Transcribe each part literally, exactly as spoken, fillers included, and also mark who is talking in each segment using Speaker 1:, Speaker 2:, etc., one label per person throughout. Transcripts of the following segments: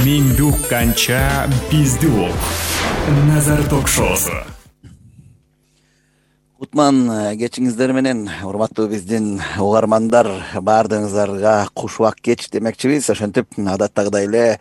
Speaker 1: Менди укканча бизди ук. Назар ток-шоусу.
Speaker 2: Кутман кечиңиздер менен, урматтуу биздин угармандар, баардыгыңыздарга куш убак кеч демекчибиз. Ошентип адаттагыдай эле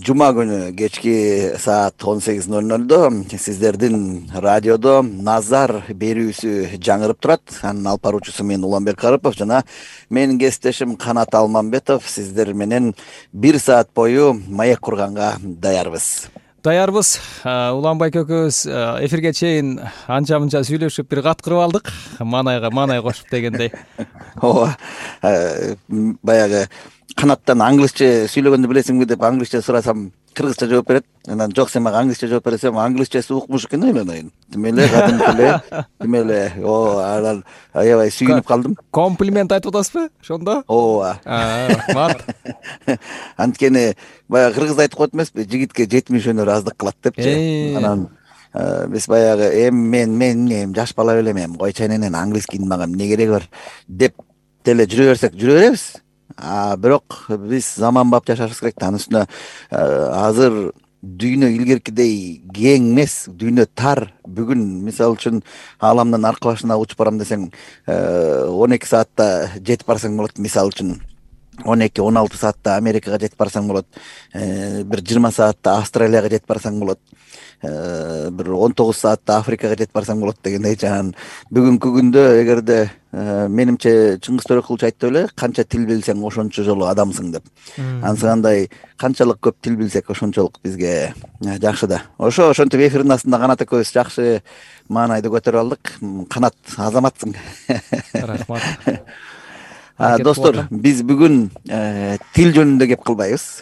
Speaker 2: жума күнү кечки саат он сегиз ноль нольдо сиздердин радиодо Назар берүүсү жаңырып турат. Анын алып баруучусу мен Уланбек Карыпов жана менин кесиптешим Канат Алмамбетов. Сиздер менен бир саат бою маек курганга даярбыз.
Speaker 3: Даярбыз. Уланбек экөөбүз эфирге чейин анча мынча сүйлөшүп бир кат кырып алдык. Манайга манай кошуп дегендей.
Speaker 2: Ооба. Баягы Канаттан англисче сүйлөгөндү билесиңби деп англисче сурасам кыргызча жооп берет. Анан жок, сен мага англисче жооп бересең, англисчеси укмуш экен ойлонойн. Демеле кадимки эле, демеле, о, анан аябай сүйүнүп калдым.
Speaker 3: Комплимент айтып атасызбы ошондо?
Speaker 2: Ооба.
Speaker 3: Мат.
Speaker 2: Анткени баягы кыргыз айтып коет эмеспи, жигитке жетимиш өнөр аздык кылат депчи. Анан биз баягы эми мен мен эми жаш бала белем, эми койчу эненен английский мага эмне кереги бар деп деле жүрө берсек жүрө беребиз. А бирок биз заманбап жашашыбыз керек. Анын үстүнө азыр дүйнө илгеркидей кең эмес, дүйнө тар. Бүгүн мисалы үчүн ааламдын аркы башына учуп барам десең, он эки саатта жетип барсаң болот. Мисалы үчүн он эки он алты саатта Америкага жетип барсаң болот. Бир жыйырма саатта Австралияга жетип барсаң болот. Бир он тогуз саатта Африкага жетип барсаң болот дегендей. Жана бүгүнкү күндө эгерде менимче Чыңгыз Төрөкулович айтты эле, канча тил билсең ошончо жолу адамсың деп. Ансыгандай канчалык көп тил билсек ошончолук бизге жакшы да. Ошо ошентип эфирдин астында Канат экөөбүз жакшы маанайды көтөрүп алдык. Канат, азаматсың.
Speaker 3: Рахмат.
Speaker 2: Достор, биз бүгүн тил жөнүндө кеп кылбайбыз.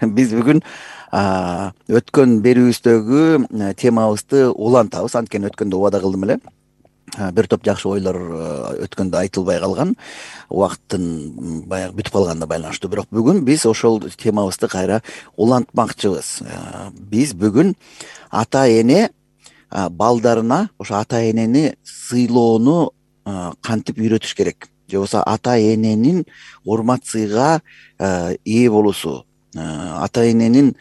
Speaker 2: Биз бүгүн өткөн берүүбүздөгү темабызды улантабыз. Анткени өткөндө убада кылдым эле. Бир топ жакшы ойлор өткөндө айтылбай калган, убакыттын баягы бүтүп калганына байланыштуу. Бирок бүгүн биз ошол темабызды кайра улантмакчыбыз. Биз бүгүн ата эне балдарына ошо ата энени сыйлоону кантип үйрөтүш керек, же болбосо ата эненин урмат сыйга ээ болуусу, ата эненин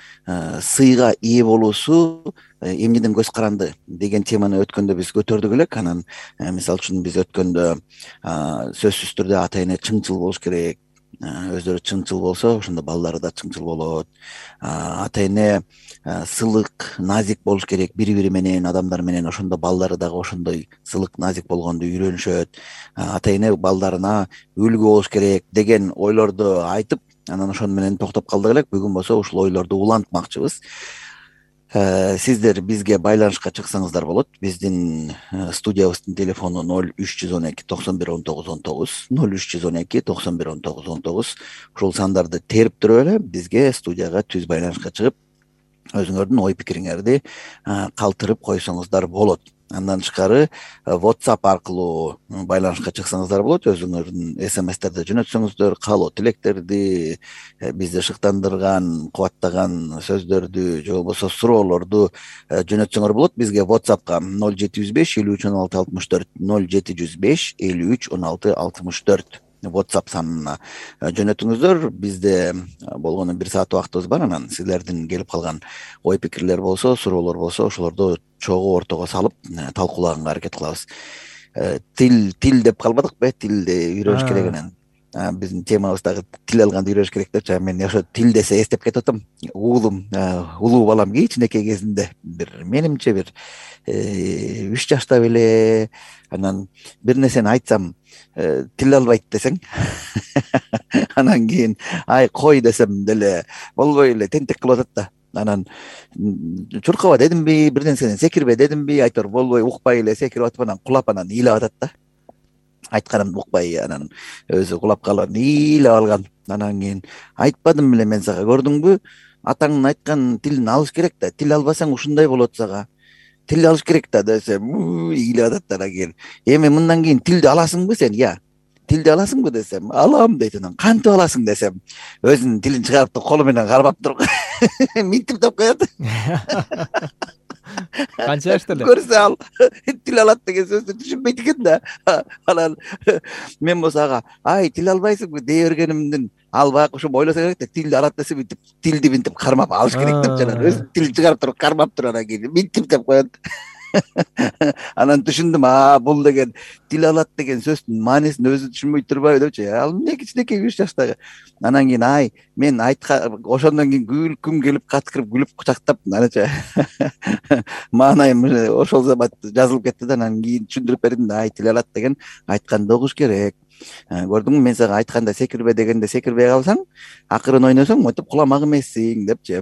Speaker 2: сыйга ээ болуусу эмнеден көз каранды деген теманы өткөндө биз көтөрдүк элек. Анан мисалы үчүн биз өткөндө сөзсүз түрдө ата эне чыңчыл болуш керек. Өздөрү чыңчыл болсо, ошондо балдары да чыңчыл болот. Ата эне сылык, назик болуш керек бири-бири менен, адамдар менен. Ошондо балдары дагы ошондой сылык, назик болгонду үйрөнүшөт. Ата эне балдарына үлгү болуш керек деген ойлорду айтып, анан ошону менен токтоп калдык элек. Бүгүн болсо ушул ойлорду улантмакчыбыз. Сиздер бизге байланышка чыксаңыздар болот. Биздин студиябыздын телефону ноль үч жүз он эки токсон бир он тогуз он тогуз, ноль үч жүз он эки токсон бир он тогуз он тогуз. Ушул сандарды терип туруп эле бизге студияга түз байланышка чыгып, өзүңөрдүн ой пикириңерди калтырып койсоңуздар болот. Андан тышкары WhatsApp аркылуу байланышка чыксаңыздар болот. Өзүңөрдүн эс эм эстерди жөнөтсөңүздөр, каалоо тилектерди, бизди шыктандырган, кубаттаган сөздөрдү же болбосо суроолорду жөнөтсөңөр болот. Бизге WhatsAppка ноль жети жүз беш элүү үч он алты алтымыш төрт, ноль жети жүз беш элүү үч он алты алтымыш төрт WhatsApp санына жөнөтүңүздөр. Бизде болгону бир саат убактыбыз бар. Анан силердин келип калган ой пикирлер болсо, суроолор болсо, ошолорду чогуу ортого салып талкуулаганга аракет кылабыз. Тил тил деп калбадыкпы? Тилди үйрөнүш керек анан. Биздин темабыздагы тил алганды үйрөнүш керек деп, мен ошо тил десе эстеп кетип атам. Уулум, улуу балам кичинекей кезинде бир менимче бир үч жашта беле, анан бир нерсени айтсам тил албайт десең, анан кийин ай кой десем деле болбой эле тентек кылып атат да. Анан чуркаба дедимби, бир нерседен секирбе дедимби, айтор болбой, укпай эле секирип атып, анан кулап анан ыйлап атат да. Айтканын укпай, анан өзү кулап калып ыйлап алган. Анан кийин айтпадым беле мен сага, көрдүңбү? Атаңдын айткан тилин алыш керек да. Тил албасаң ушундай болот сага. Тил алыш керек да десем, ыйлап атат. Анан кийин эми мындан кийин тилди аласыңбы сен? Я. Тилди аласыңбы десем, алам дейт. Анан кантип аласың десем, өзүнүн тилин чыгарып колу менен кармап туруп минтип деп коет.
Speaker 3: канча жашта эле?
Speaker 2: Көрсө ал тил алат деген сөздү түшүнбөйт экен да. Анан мен болсо ага ай тил албайсыңбы дей бергенимден ал баягы ошо ойлосо керек да, тилди алат десе мынтип тилди мынтип кармап алыш керек деп, жана өзү тил чыгарып туруп кармап туруп анан кийин мынтип деп коет. Анан түшүндүм, а бул деген тил алат деген сөздүн маанисин өзү түшүнбөй турбайбы депчи. Ал эмне кичинекей үч жаштагы. Анан кийин ай мен айткан ошондон кийин күлкүм келип каткырып күлүп кучактап анача маанайым ошол замат жазылып кетти да. Анан кийин түшүндүрүп бердим да, ай тил алат деген айтканды угуш керек. Көрдүңбү, мен сага айтканда секирбе дегенде секирбей калсаң, акырын ойносоң монтип куламак эмессиң депчи.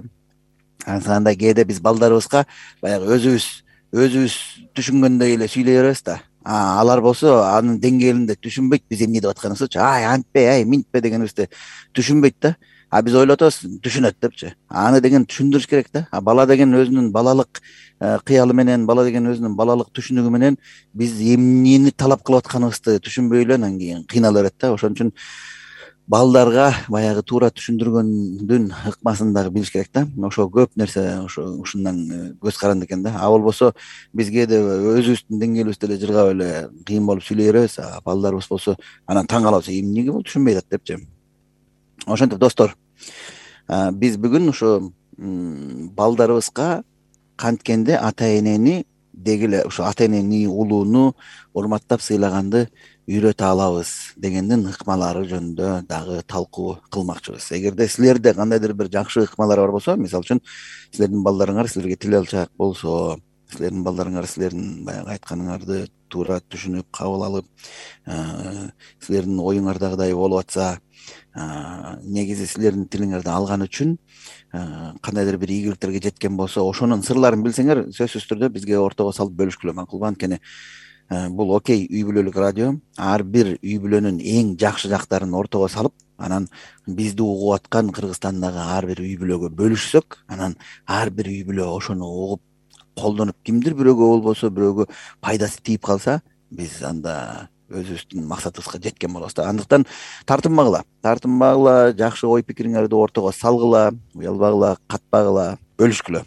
Speaker 2: Андай кээде биз балдарыбызга баягы өзүбүз өзүбүз түшүнгөндөй эле сүйлөй беребиз да. Алар болсо анын деңгээлинде түшүнбөйт биз эмне деп атканыбызды. Ай антпе, ай минтпе дегенибизди түшүнбөйт да. А биз ойлоп атабыз түшүнөт депчи. Аны деген түшүндүрүш керек да. А бала деген өзүнүн балалык кыялы менен, бала деген өзүнүн балалык түшүнүгү менен биз эмнени талап кылып атканыбызды түшүнбөй эле анан кийин кыйнала берет да. Ошон үчүн балдарга баягы туура түшүндүргөндүн ыкмасын дагы билиш керек да. Ошо көп нерсе ошо ушундан көз каранды экен да. А болбосо биз кээде өзүбүздүн деңгээлибизде эле жыргап эле кыйын болуп сүйлөй беребиз. А балдарыбыз болсо анан таң калабыз, эмнеге бул түшүнбөй атат депчи. Ошентип достор, биз бүгүн ошо балдарыбызга канткенде ата энени деги эле ошо ата энени, улууну урматтап сыйлаганды үйрөтө алабыз дегендин ыкмалары жөнүндө дагы талкуу кылмакчыбыз. Эгерде силерде кандайдыр бир жакшы ыкмалар бар болсо, мисалы үчүн силердин балдарыңар силерге тил алчаак болсо, силердин балдарыңар силердин баягы айтканыңарды туура түшүнүп кабыл алып, силердин оюңардагыдай болуп атса, негизи силердин тилиңерди алган үчүн кандайдыр бир ийгиликтерге жеткен болсо, ошонун сырларын билсеңер, сөзсүз түрдө бизге ортого салып бөлүшкүлө макулбу. Анткени бул окей үй бүлөлүк радио. Ар бир үй бүлөнүн эң жакшы жактарын ортого салып, анан бизди угуп аткан Кыргызстандагы ар бир үй бүлөгө бөлүшсөк, анан ар бир үй бүлө ошону угуп колдонуп, кимдир бирөөгө болбосо бирөөгө пайдасы тийип калса, биз анда өзүбүздүн максатыбызга жеткен болобуз да. Андыктан тартынбагыла, тартынбагыла, жакшы ой пикириңерди ортого салгыла, уялбагыла, катпагыла, бөлүшкүлө.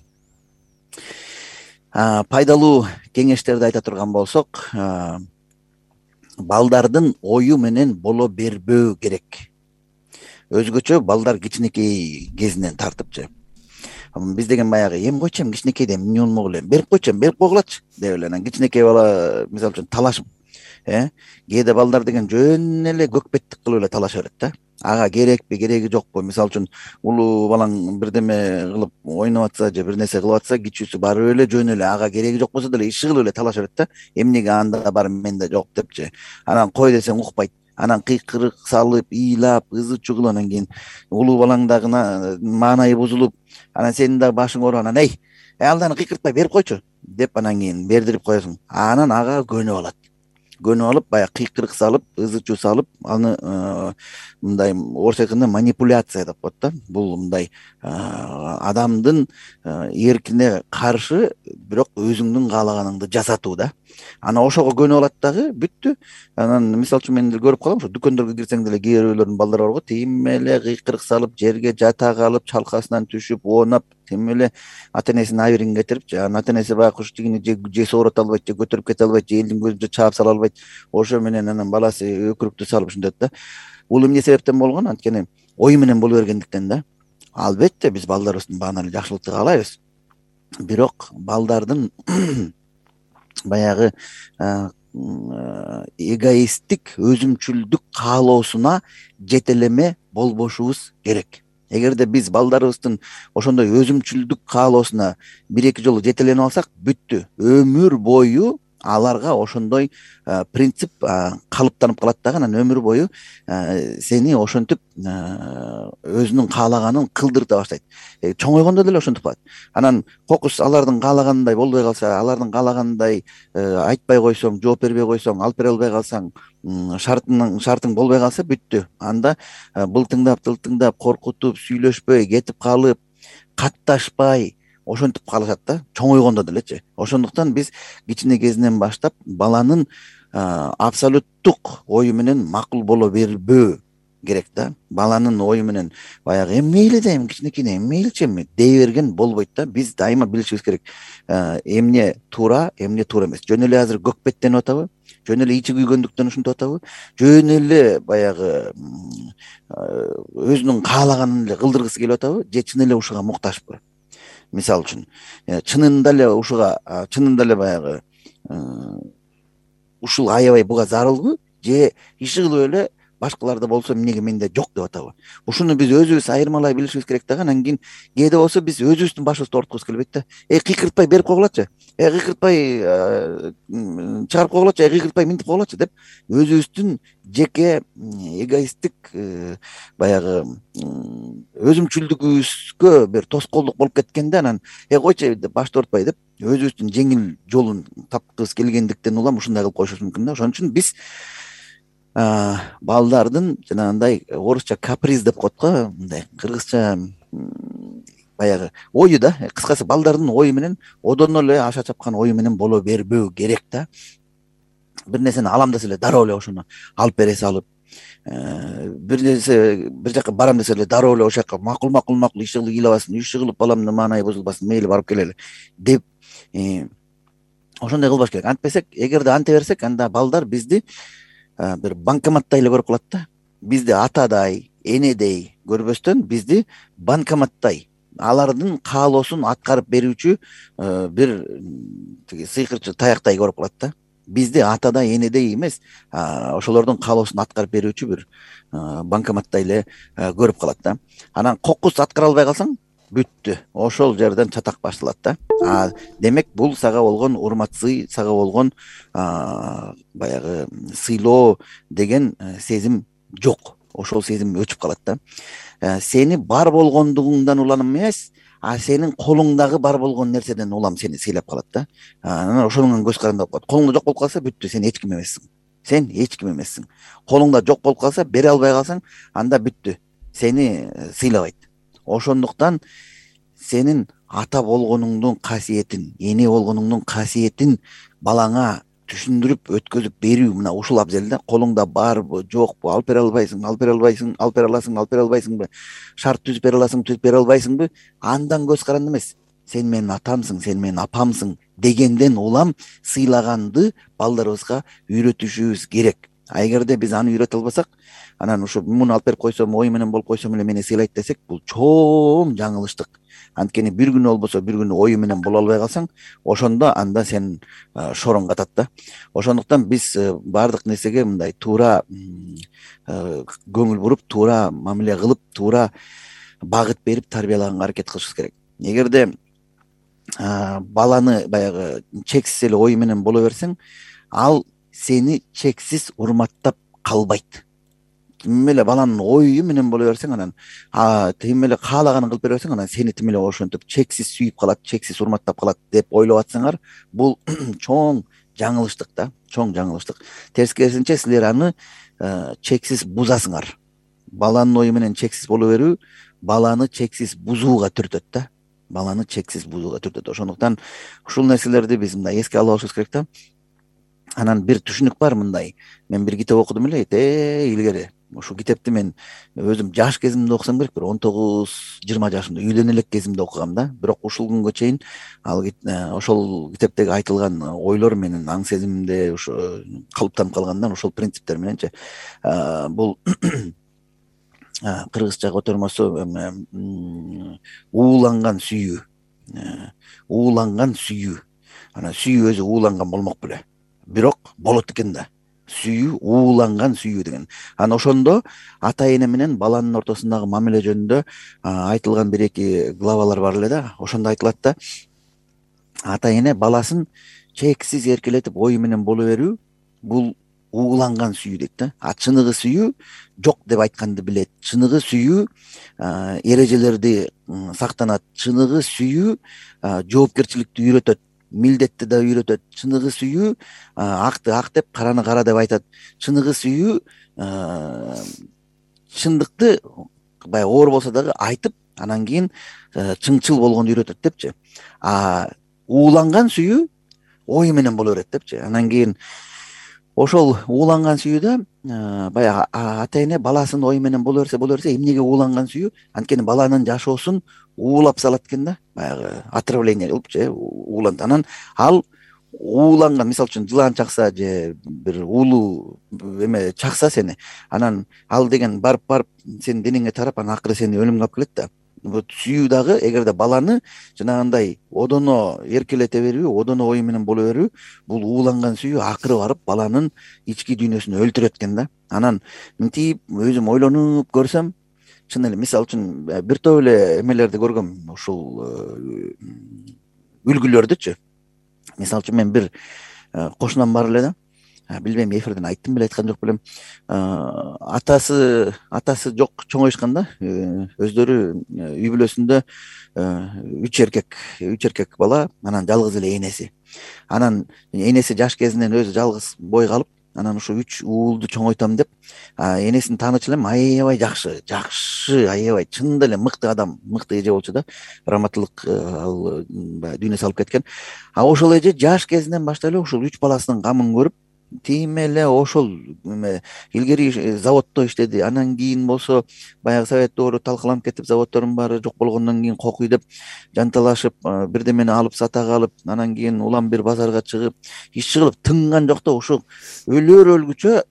Speaker 2: Пайдалуу кеңештерди айта турган болсок, балдардын ою менен боло бербөө керек. Өзгөчө балдар кичинекей кезинен тартыпчы. Биз деген баягы эми койчу, эми кичинекейде эмне болмок эле, берип койчу, берип койгулачы деп эле анан кичинекей бала мисалы үчүн талашып, э кээде балдар деген жөн эле көкпеттик кылып эле талаша берет да. Ага керекпи, кереги жокпу? Мисалы үчүн улуу балаң бирдеме кылып ойноп атса же бир нерсе кылып атса, кичүүсү барып эле жөн эле ага кереги жок болсо деле иши кылып эле талаша берет да. Эмнеге анда бар менде жок депчи. Анан кой десең укпайт. Анан кыйкырык салып, ыйлап, ызы чуу, анан кийин улуу балаң дагы маанайы бузулуп, анан сенин дагы башың ооруп, анан эй, алданы кыйкыртпай берип койчу деп анан кийин бердирип коесуң. Анан ага көнүп алат. Көнүп алып, баягы кыйкырык салып, ызы чуу салып, аны мындай орус айтканда манипуляция деп коет да. Бул мындай адамдын эркине каршы, бирок өзүңдүн каалаганыңды жасатуу да. Анан ошого көнүп алат дагы, бүттү. Анан мисалы үчүн мен көрүп калам, ошо дүкөндөргө кирсең деле кээ биреулөрдүн балдары бар го, тим эле кыйкырык салып, жерге жата калып, чалкасынан түшүп, оонап, тим эле ата энесинин абийирин кетирип, анан ата энеси баягы куштигини же соорото албайт, же көтөрүп кете албайт, же элдин көзүнө чаап сала албайт. Ошо менен анан баласы өкүрүктү салып ушинтет да. Бул эмне себептен болгон? Анткени ою менен боло бергендиктен да. Албетте биз балдарыбыздын баана эле жакшылыкты каалайбыз. Бирок балдардын баягы эгоисттик, өзүмчүлдүк каалоосуна жетелеме болбошубуз керек. Эгерде биз балдарыбыздын ошондой өзүмчүлдүк каалоосуна бир эки жолу жетеленип алсак, бүттү. Өмүр бою аларга ошондой принцип калыптанып калат дагы. Анан өмүр бою сени ошентип өзүнүн каалаганын кылдырта баштайт. Чоңойгондо деле ошентип калат. Анан кокус алардын каалаганындай болбой калса, алардын каалаганындай айтпай койсоң, жооп бербей койсоң, алып бере албай калсаң, шартың шартың болбой калса, бүттү. Анда былтыңдап, тылтыңдап, коркутуп, сүйлөшпөй, кетип калып, катташпай ошентип калышат да, чоңойгондо делечи. Ошондуктан биз кичине кезинен баштап баланын абсолюттук ою менен макул боло бербөө керек да. Баланын ою менен баягы эми мейли да, эми кичинекей эми мейличи эми дей берген болбойт да. Биз дайыма билишибиз керек, эмне туура, эмне туура эмес. Жөн эле азыр көкпеттенип атабы, жөн эле ичи күйгөндүктөн ушинтип атабы, жөн эле баягы өзүнүн каалаганын эле кылдыргысы келип атабы, же чын эле ушуга муктажбы? Мисалы үчүн чынында эле ушуга, чынында эле баягы ушул аябай буга зарылбы, же иши кылып эле башкаларда болсо эмнеге менде жок деп атабы? Ушуну биз өзүбүз айырмалай билишибиз керек дагы. Анан кийин кээде болсо биз өзүбүздүн башыбызды ооруткубуз келбейт да. Эй кыйкыртпай берип койгулачы, э кыйкыртпай чыгарып койгулачы, э кыйкыртпай минтип койгулачы деп өзүбүздүн жеке эгоисттик баягы өзүмчүлдүгүбүзгө бир тоскоолдук болуп кеткенде, анан э койчу деп башты оорутпай деп өзүбүздүн жеңил жолун тапкыбыз келгендиктен улам ушундай кылып коюшубуз мүмкүн да. Ошон үчүн биз балдардын жанагындай орусча каприз деп коет го, мындай кыргызча баягы ою да, кыскасы балдардын ою менен одон эле аша чапкан ою менен боло бербөө керек да. Бир нерсени алам десе эле дароо эле ошону алып бере салып, бир нерсе бир жака барам десе эле дароо эле ошол жака макул макул макул иши кылып ыйлабасын, иши кылып баламдын маанайы бузулбасын, мейли барып келели деп ошондой кылбаш керек. Антпесек, эгерде анте берсек, анда балдар бизди бир банкоматтай эле көрүп калат да. Бизди атадай, энедей көрбөстөн бизди банкоматтай, алардын каалоосун аткарып берүүчү бир тиги сыйкырчы таяктай көрүп калат да. Бизди атадай, энедей эмес, ошолордун каалоосун аткарып берүүчү бир банкоматтай эле көрүп калат да. Анан кокус аткара албай калсаң бүттү, ошол жерден чатак башталат да. А демек бул сага болгон урмат сый, сага болгон баягы сыйлоо деген сезим жок. Ошол сезим өчүп калат да. Сени бар болгондугуңдан улам эмес, а сенин колуңдагы бар болгон нерседен улам сени сыйлап калат да. Анан ошонун көз каранды болуп калат. Колуңда жок болуп калса бүттү, сен эч ким эмессиң. Сен эч ким эмессиң. Колуңда жок болуп калса, бере албай калсаң, анда бүттү, сени сыйлабайт. Ошондуктан сенин ата болгонуңдун касиетин, эне болгонуңдун касиетин балаңа түшүндүрүп өткөзүп берүү мына ушул абзел да. Колуңда барбы, жокпу, алып бере албайсың, алып бере албайсың, алып бере аласың, алып бере албайсыңбы, шарт түзүп бере аласың, түзүп бере албайсыңбы, андан көз каранды эмес. Сен менин атамсың, сен менин апамсың дегенден улам сыйлаганды балдарыбызга үйрөтүшүбүз керек. А эгерде биз аны үйрөтө албасак, анан ушу муну алып берип койсом, ой менен болуп койсом эле мени сыйлайт десек, бул чоң жаңылыштык. Анткени бир күнү болбосо бир күнү ою менен боло албай калсаң, ошондо анда сен шороң катат да. Ошондуктан биз баардык нерсеге мындай туура көңүл буруп, туура мамиле кылып, туура багыт берип тарбиялаганга аракет кылышыбыз керек. Эгерде баланы баягы чексиз эле ой менен боло берсең, ал сени чексиз урматтап калбайт. Тим эле баланын ою менен боло берсең, анан тим эле каалаганын кылып бере берсең, анан сени тим эле ошентип чексиз сүйүп калат, чексиз урматтап калат деп ойлоп атсаңар, бул чоң жаңылыштык да, чоң жаңылыштык. Тескерисинче силер аны чексиз бузасыңар. Баланын ою менен чексиз боло берүү баланы чексиз бузууга түртөт да. Баланы чексиз бузууга түртөт. Ошондуктан ушул нерселерди биз мындай эске ала алышыбыз керек да. Анан бир түшүнүк бар мындай. Мен бир китеп окудум эле, э илгери. Ушул китепти мен өзүм жаш кезимде окусам керек, бир он тогуз жыйырма жашымда, үйлөнө элек кезимде окугам да. Бирок ушул күнгө чейин ал ошол китептеги айтылган ойлор менин аң сезимимде ушу калыптанып калгандан, ошол принциптер мененчи бул кыргызча котормосу ууланган сүйүү. Ууланган сүйүү. Анан сүйүү өзү ууланган болмок беле. Бирок болот экен да. Сүйүү, ууланган сүйүү деген. Анан ошондо ата эне менен баланын ортосундагы мамиле жөнүндө айтылган бир эки главалар бар эле да. Ошондо айтылат да, ата эне баласын чексиз эркелетип ою менен боло берүү бул ууланган сүйүү дейт да. А чыныгы сүйүү жок деп айтканды билет. Чыныгы сүйүү эрежелерди сактанат. Чыныгы сүйүү жоопкерчиликти үйрөтөт. Милдетти да үйрөтөт. Чыныгы сүйүү акты ак деп, караны кара деп айтат. Чыныгы сүйүү чындыкты баягы оор болсо дагы айтып, анан кийин чыңчыл болгонду үйрөтөт депчи. А ууланган сүйүү ой менен боло берет депчи. Анан кийин ошол ууланган сүйүүдө баягы ата эне баласынын ою менен боло берсе боло берсе эмнеге ууланган сүйүү, анткени баланын жашоосун уулап салат экен да, баягы отравление кылып же уулант. Анан ал ууланган, мисалы үчүн жылан чакса же бир уулуу эме чакса сени, анан ал деген барып барып сенин денеңе тарап, анан акыры сени өлүмгө алып келет да. Вот сүйүү дагы эгерде баланы жанагындай одоно эркелете берүү, одоно ою менен боло берүү, бул ууланган сүйүү акыры барып баланын ички дүйнөсүн өлтүрөт экен да. Анан мынтип өзүм ойлонуп көрсөм, чын эле мисалы үчүн бир топ эле эмелерди көргөм, ушул үлгүлөрдүчү. Мисалы үчүн мен бир кошунам бар эле да, билбейм эфирден айттым беле айткан жок белем, атасы атасы жок чоңоюшкан да, өздөрү үй бүлөсүндө үч эркек үч эркек бала, анан жалгыз эле энеси. Анан энеси жаш кезинен өзү жалгыз бой калып, анан ушу үч уулду чоңойтам деп энесин таанычу элем, аябай жакшы жакшы аябай чынында эле мыкты адам, мыкты эже болчу да, раматылык ал баягы дүйнө салып кеткен. А ошол эже жаш кезинен баштап эле ушул үч баласынын камын көрүп, тим эле ошол эме илгери заводдо иштеди, анан кийин болсо баягы совет доору талкаланып кетип, заводдордун баары жок болгондон кийин кокуй деп жанталашып, бирдемени алып сата калып, анан кийин улам бир базарга чыгып, иш кылып тынган жок да, ушул өлөр өлгүчө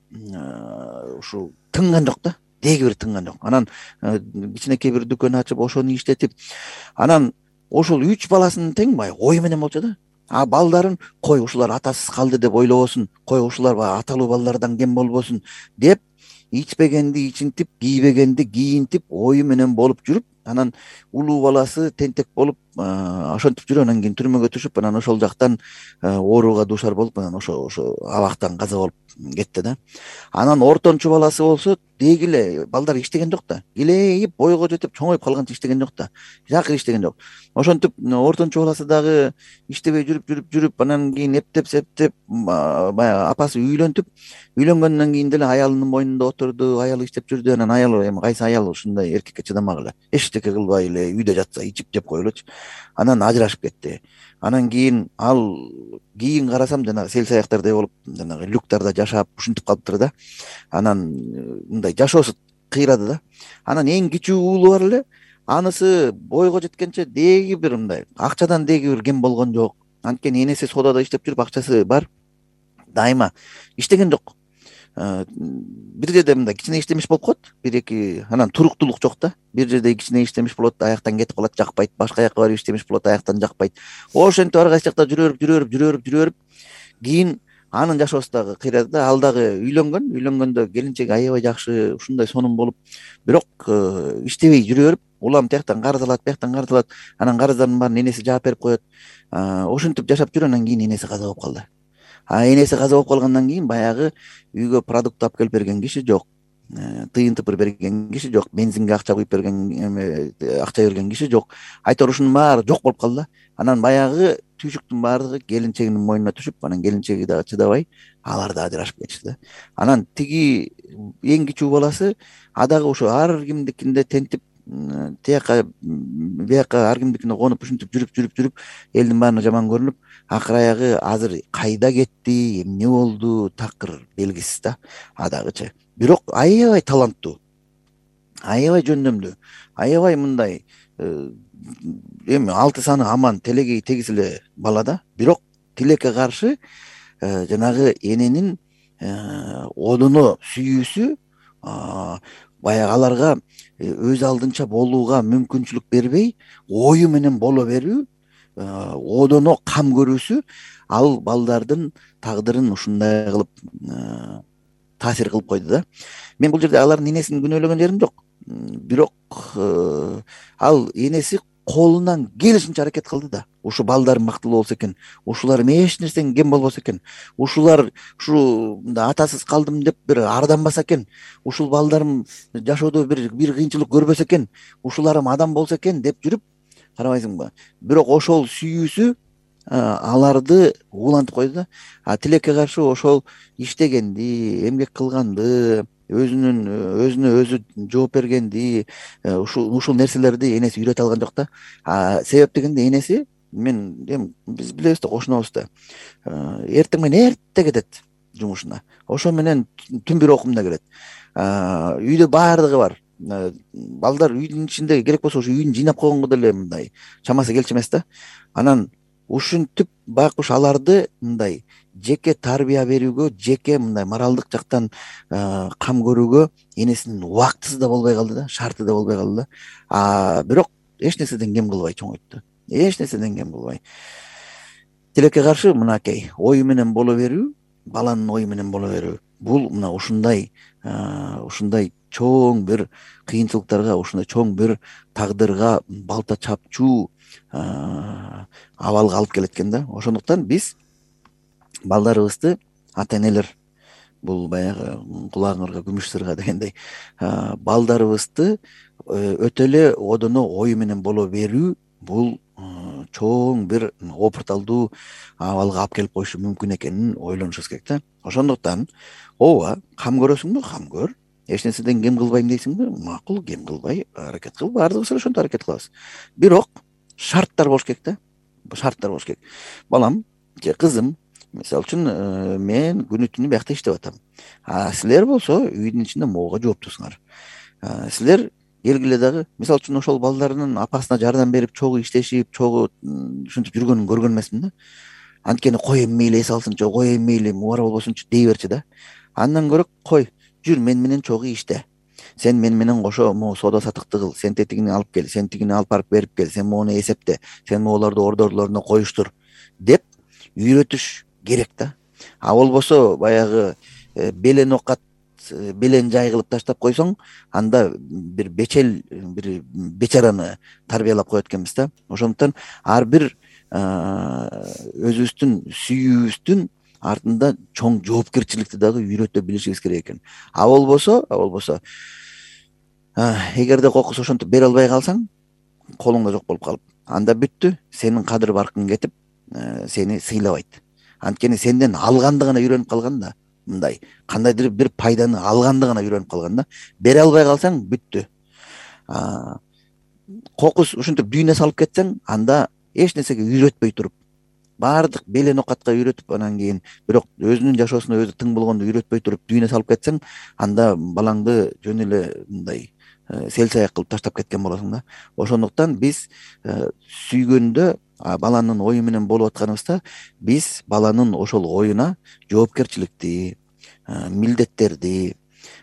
Speaker 2: ушул тынган жок да, деги бир тынган жок. Анан кичинекей бир дүкөн ачып, ошону иштетип, анан ошол үч баласынын тең баягы ою менен болчу да. А балдарын кой ушулар атасыз калды деп ойлобосун, кой ушулар баягы аталуу балдардан кем болбосун деп, ичпегенди ичинтип, кийбегенди кийинтип, ою менен болуп жүрүп, анан улуу баласы тентек болуп ошентип жүрүп, анан кийин түрмөгө түшүп, анан ошол жактан ооруга дуушар болуп, анан ошо ошо абактан каза болуп кетти да. Анан ортончу баласы болсо деги эле балдар иштеген жок да, килейип бойго жетип чоңоюп калганча иштеген жок да, такыр иштеген жок. Ошентип ортончу баласы дагы иштебей жүрүп жүрүп жүрүп анан кийин эптеп септеп баягы апасы үйлөнтүп, үйлөнгөндөн кийин деле аялынын мойнунда отурду, аялы иштеп жүрдү. Анан аялы эми кайсы аял ушундай эркекке чыдамак эле, эчтеке кылбай эле үйдө жатса, ичип жеп коелучу. Анан ажырашып кетти. Анан кийин ал кийин карасам жанагы сел саяктардай болуп, жанагы люктарда жашап ушинтип калыптыр да. Анан мындай жашоосу кыйрады да. Анан эң кичүү уулу бар эле, анысы бойго жеткенче деги бир мындай акчадан деги бир кем болгон жок. Анткени энеси содада иштеп жүрүп, акчасы бар, дайыма иштеген жок. Бир жерде мындай кичине иштемиш болуп коет, бир эки, анан туруктуулук жок да. Бир жерде кичине иштемиш болот, аяктан кетип калат, жакпайт, башка жака барып иштемиш болот, аяктан жакпайт. Ошентип ар кайсы жакта жүрөөрүп жүрөөрүп жүрөөрүп жүрөөрүп кийин анын жашоосу дагы кыйрады да. Ал дагы үйлөнгөн, үйлөнгөндө келинчеги аябай жакшы, ушундай сонун болуп, бирок иштебей жүрөөрүп, улам тияктан карыз алат, бияктан карыз алат, анан карыздардын баарын энеси жаап берип коет. Ошентип жашап жүрүп, анан кийин энеси каза болуп калды. А энеси каза болуп калгандан кийин баягы үйгө продукт алып келип берген киши жок, тыйын тыпыр берген киши жок, бензинге акча куюп берген эме акча берген киши жок. Айтор ушунун баары жок болуп калды да. Анан баягы түйшүктүн баардыгы келинчегинин мойнуна түшүп, анан келинчеги дагы чыдабай, алар да ажырашып кетишти да. Анан тиги эң кичүү баласы а дагы ошо ар кимдикинде тентип, тияка бияка ар кимдикине конуп, ушинтип жүрүп жүрүп жүрүп элдин баарына жаман көрүнүп, акыр аягы азыр кайда кетти, эмне болду, такыр белгисиз да. А дагычы бирок аябай таланттуу, аябай жөндөмдүү, аябай мындай эми алты саны аман, телегей тегиз эле бала да. Бирок тилекке каршы жанагы эненин одоно сүйүүсү баягы аларга өз алдынча болууга мүмкүнчүлүк бербей, ою менен боло берүү, одоно кам көрүүсү ал балдардын тагдырын ушундай кылып таасир кылып койду да. Мен бул жерде алардын энесин күнөөлөгөн жерим жок. Бирок ал энеси колунан келишинче аракет кылды да. Ушу балдарым мактылуу болсо экен, ушуларым эч нерсеге кем болбосо экен, ушулар ушу атасыз калдым деп бир арданбаса экен, ушул балдарым жашоодо бир бир кыйынчылык көрбөсө экен, ушуларым адам болсо экен деп жүрүп, карабайсыңбы? Бирок ошол сүйүүсү аларды уулантып койду да. А тилекке каршы ошол иштегенди, эмгек кылганды, өзүнүн өзүнө өзү жооп бергенди, ушул ушул нерселерди энеси үйрөтө алган жок да. А себеп дегенде энеси, мен эми биз билебиз да, кошунобуз да, эртең менен эрте кетет. жумушуна. Ошо менен түн бир окумда келет. Үйдө баардыгы бар. Балдар үйдүн ичинде керек болсо ошо үйүн жыйнап койгонго деле мындай чамасы келчү эмес да. Анан ушинтип байкуш аларды мындай жеке тарбия берүүгө, жеке мындай моралдык жактан кам көрүүгө энесинин убактысы да болбой калды да, шарты да болбой калды да. А бирок эч нерседен кем кылбай чоңойтtu. Эч нерседен кем кылбай. Тилекке каршы мынакей ою менен боло берүү, баланын ою менен боло берүү. Бул мына ушундай ушундай чоң бир кыйынчылыктарга, ушундай чоң бир тагдырга балта чапчуу абалга алып келет экен да. Ошондуктан биз балдарыбызды, ата энелер, бул баягы кулагыңарга күмүш сырга дегендей, балдарыбызды өтө эле одоно ою менен боло берүү бул чоң бир опурталдуу абалга алып келип коюшу мүмкүн экенин ойлонушубуз керек да. Ошондуктан ооба, кам көрөсүңбү, кам көр. Эч нерседен кем кылбайм дейсиңби? Макул, кем кылбай аракет кыл. Баардыгыбыз эле ошентип аракет кылабыз. Бирок шарттар болуш керек да. Шарттар болуш керек. Балам же кызым, мисалы үчүн мен күнү түнү биякта иштеп атам. А силер болсо үйдүн ичинде могуга жооптусуңар. Силер келгиле дагы, мисалы үчүн ошол балдарынын апасына жардам берип, чогуу иштешип, чогуу ушинтип жүргөнүн көргөн эмесмин да. Анткени коеюн мейли эс алсынчы, коеюн мейли мубара болбосунчу дей берчи да. Андан көрө кой, жүр мен менен чогуу иште. Сен мен менен кошо могу соода сатыкты кыл, сен тетигини алып кел, сен тигини алып барып берип кел, сен могуну эсепте, сен могуларды ордорлоруна коюштур деп үйрөтүш керек да. А болбосо баягы белен окат, белен жай кылып таштап койсоң, анда бир бечел, бир бечараны тарбиялап коет экенбиз да. Ошондуктан ар бир өзүбүздүн сүйүүбүздүн артында чоң жоопкерчиликти дагы үйрөтө билишибиз керек экен. А болбосо, а болбосо эгерде кокус ошентип бере албай калсаң, колуңда жок болуп калып, анда бүттү, сенин кадыр баркың кетип, сени сыйлабайт. Анткени сенден алганды гана үйрөнүп калган да, мындай кандайдыр бир пайданы алганды гана үйрөнүп калган да. Бере албай калсаң бүттү. Кокус ушинтип дүйнө салып кетсең, анда эч нерсеге үйрөтпөй туруп, баардык белен окатка үйрөтүп, анан кийин бирок өзүнүн жашоосуна өзү тың болгондо үйрөтпөй туруп дүйнө салып кетсең, анда балаңды жөн эле мындай сел саяк кылып таштап кеткен болосуң да. Ошондуктан биз сүйгөндө, баланын ою менен болуп атканыбызда, биз баланын ошол оюна жоопкерчиликти, милдеттерди,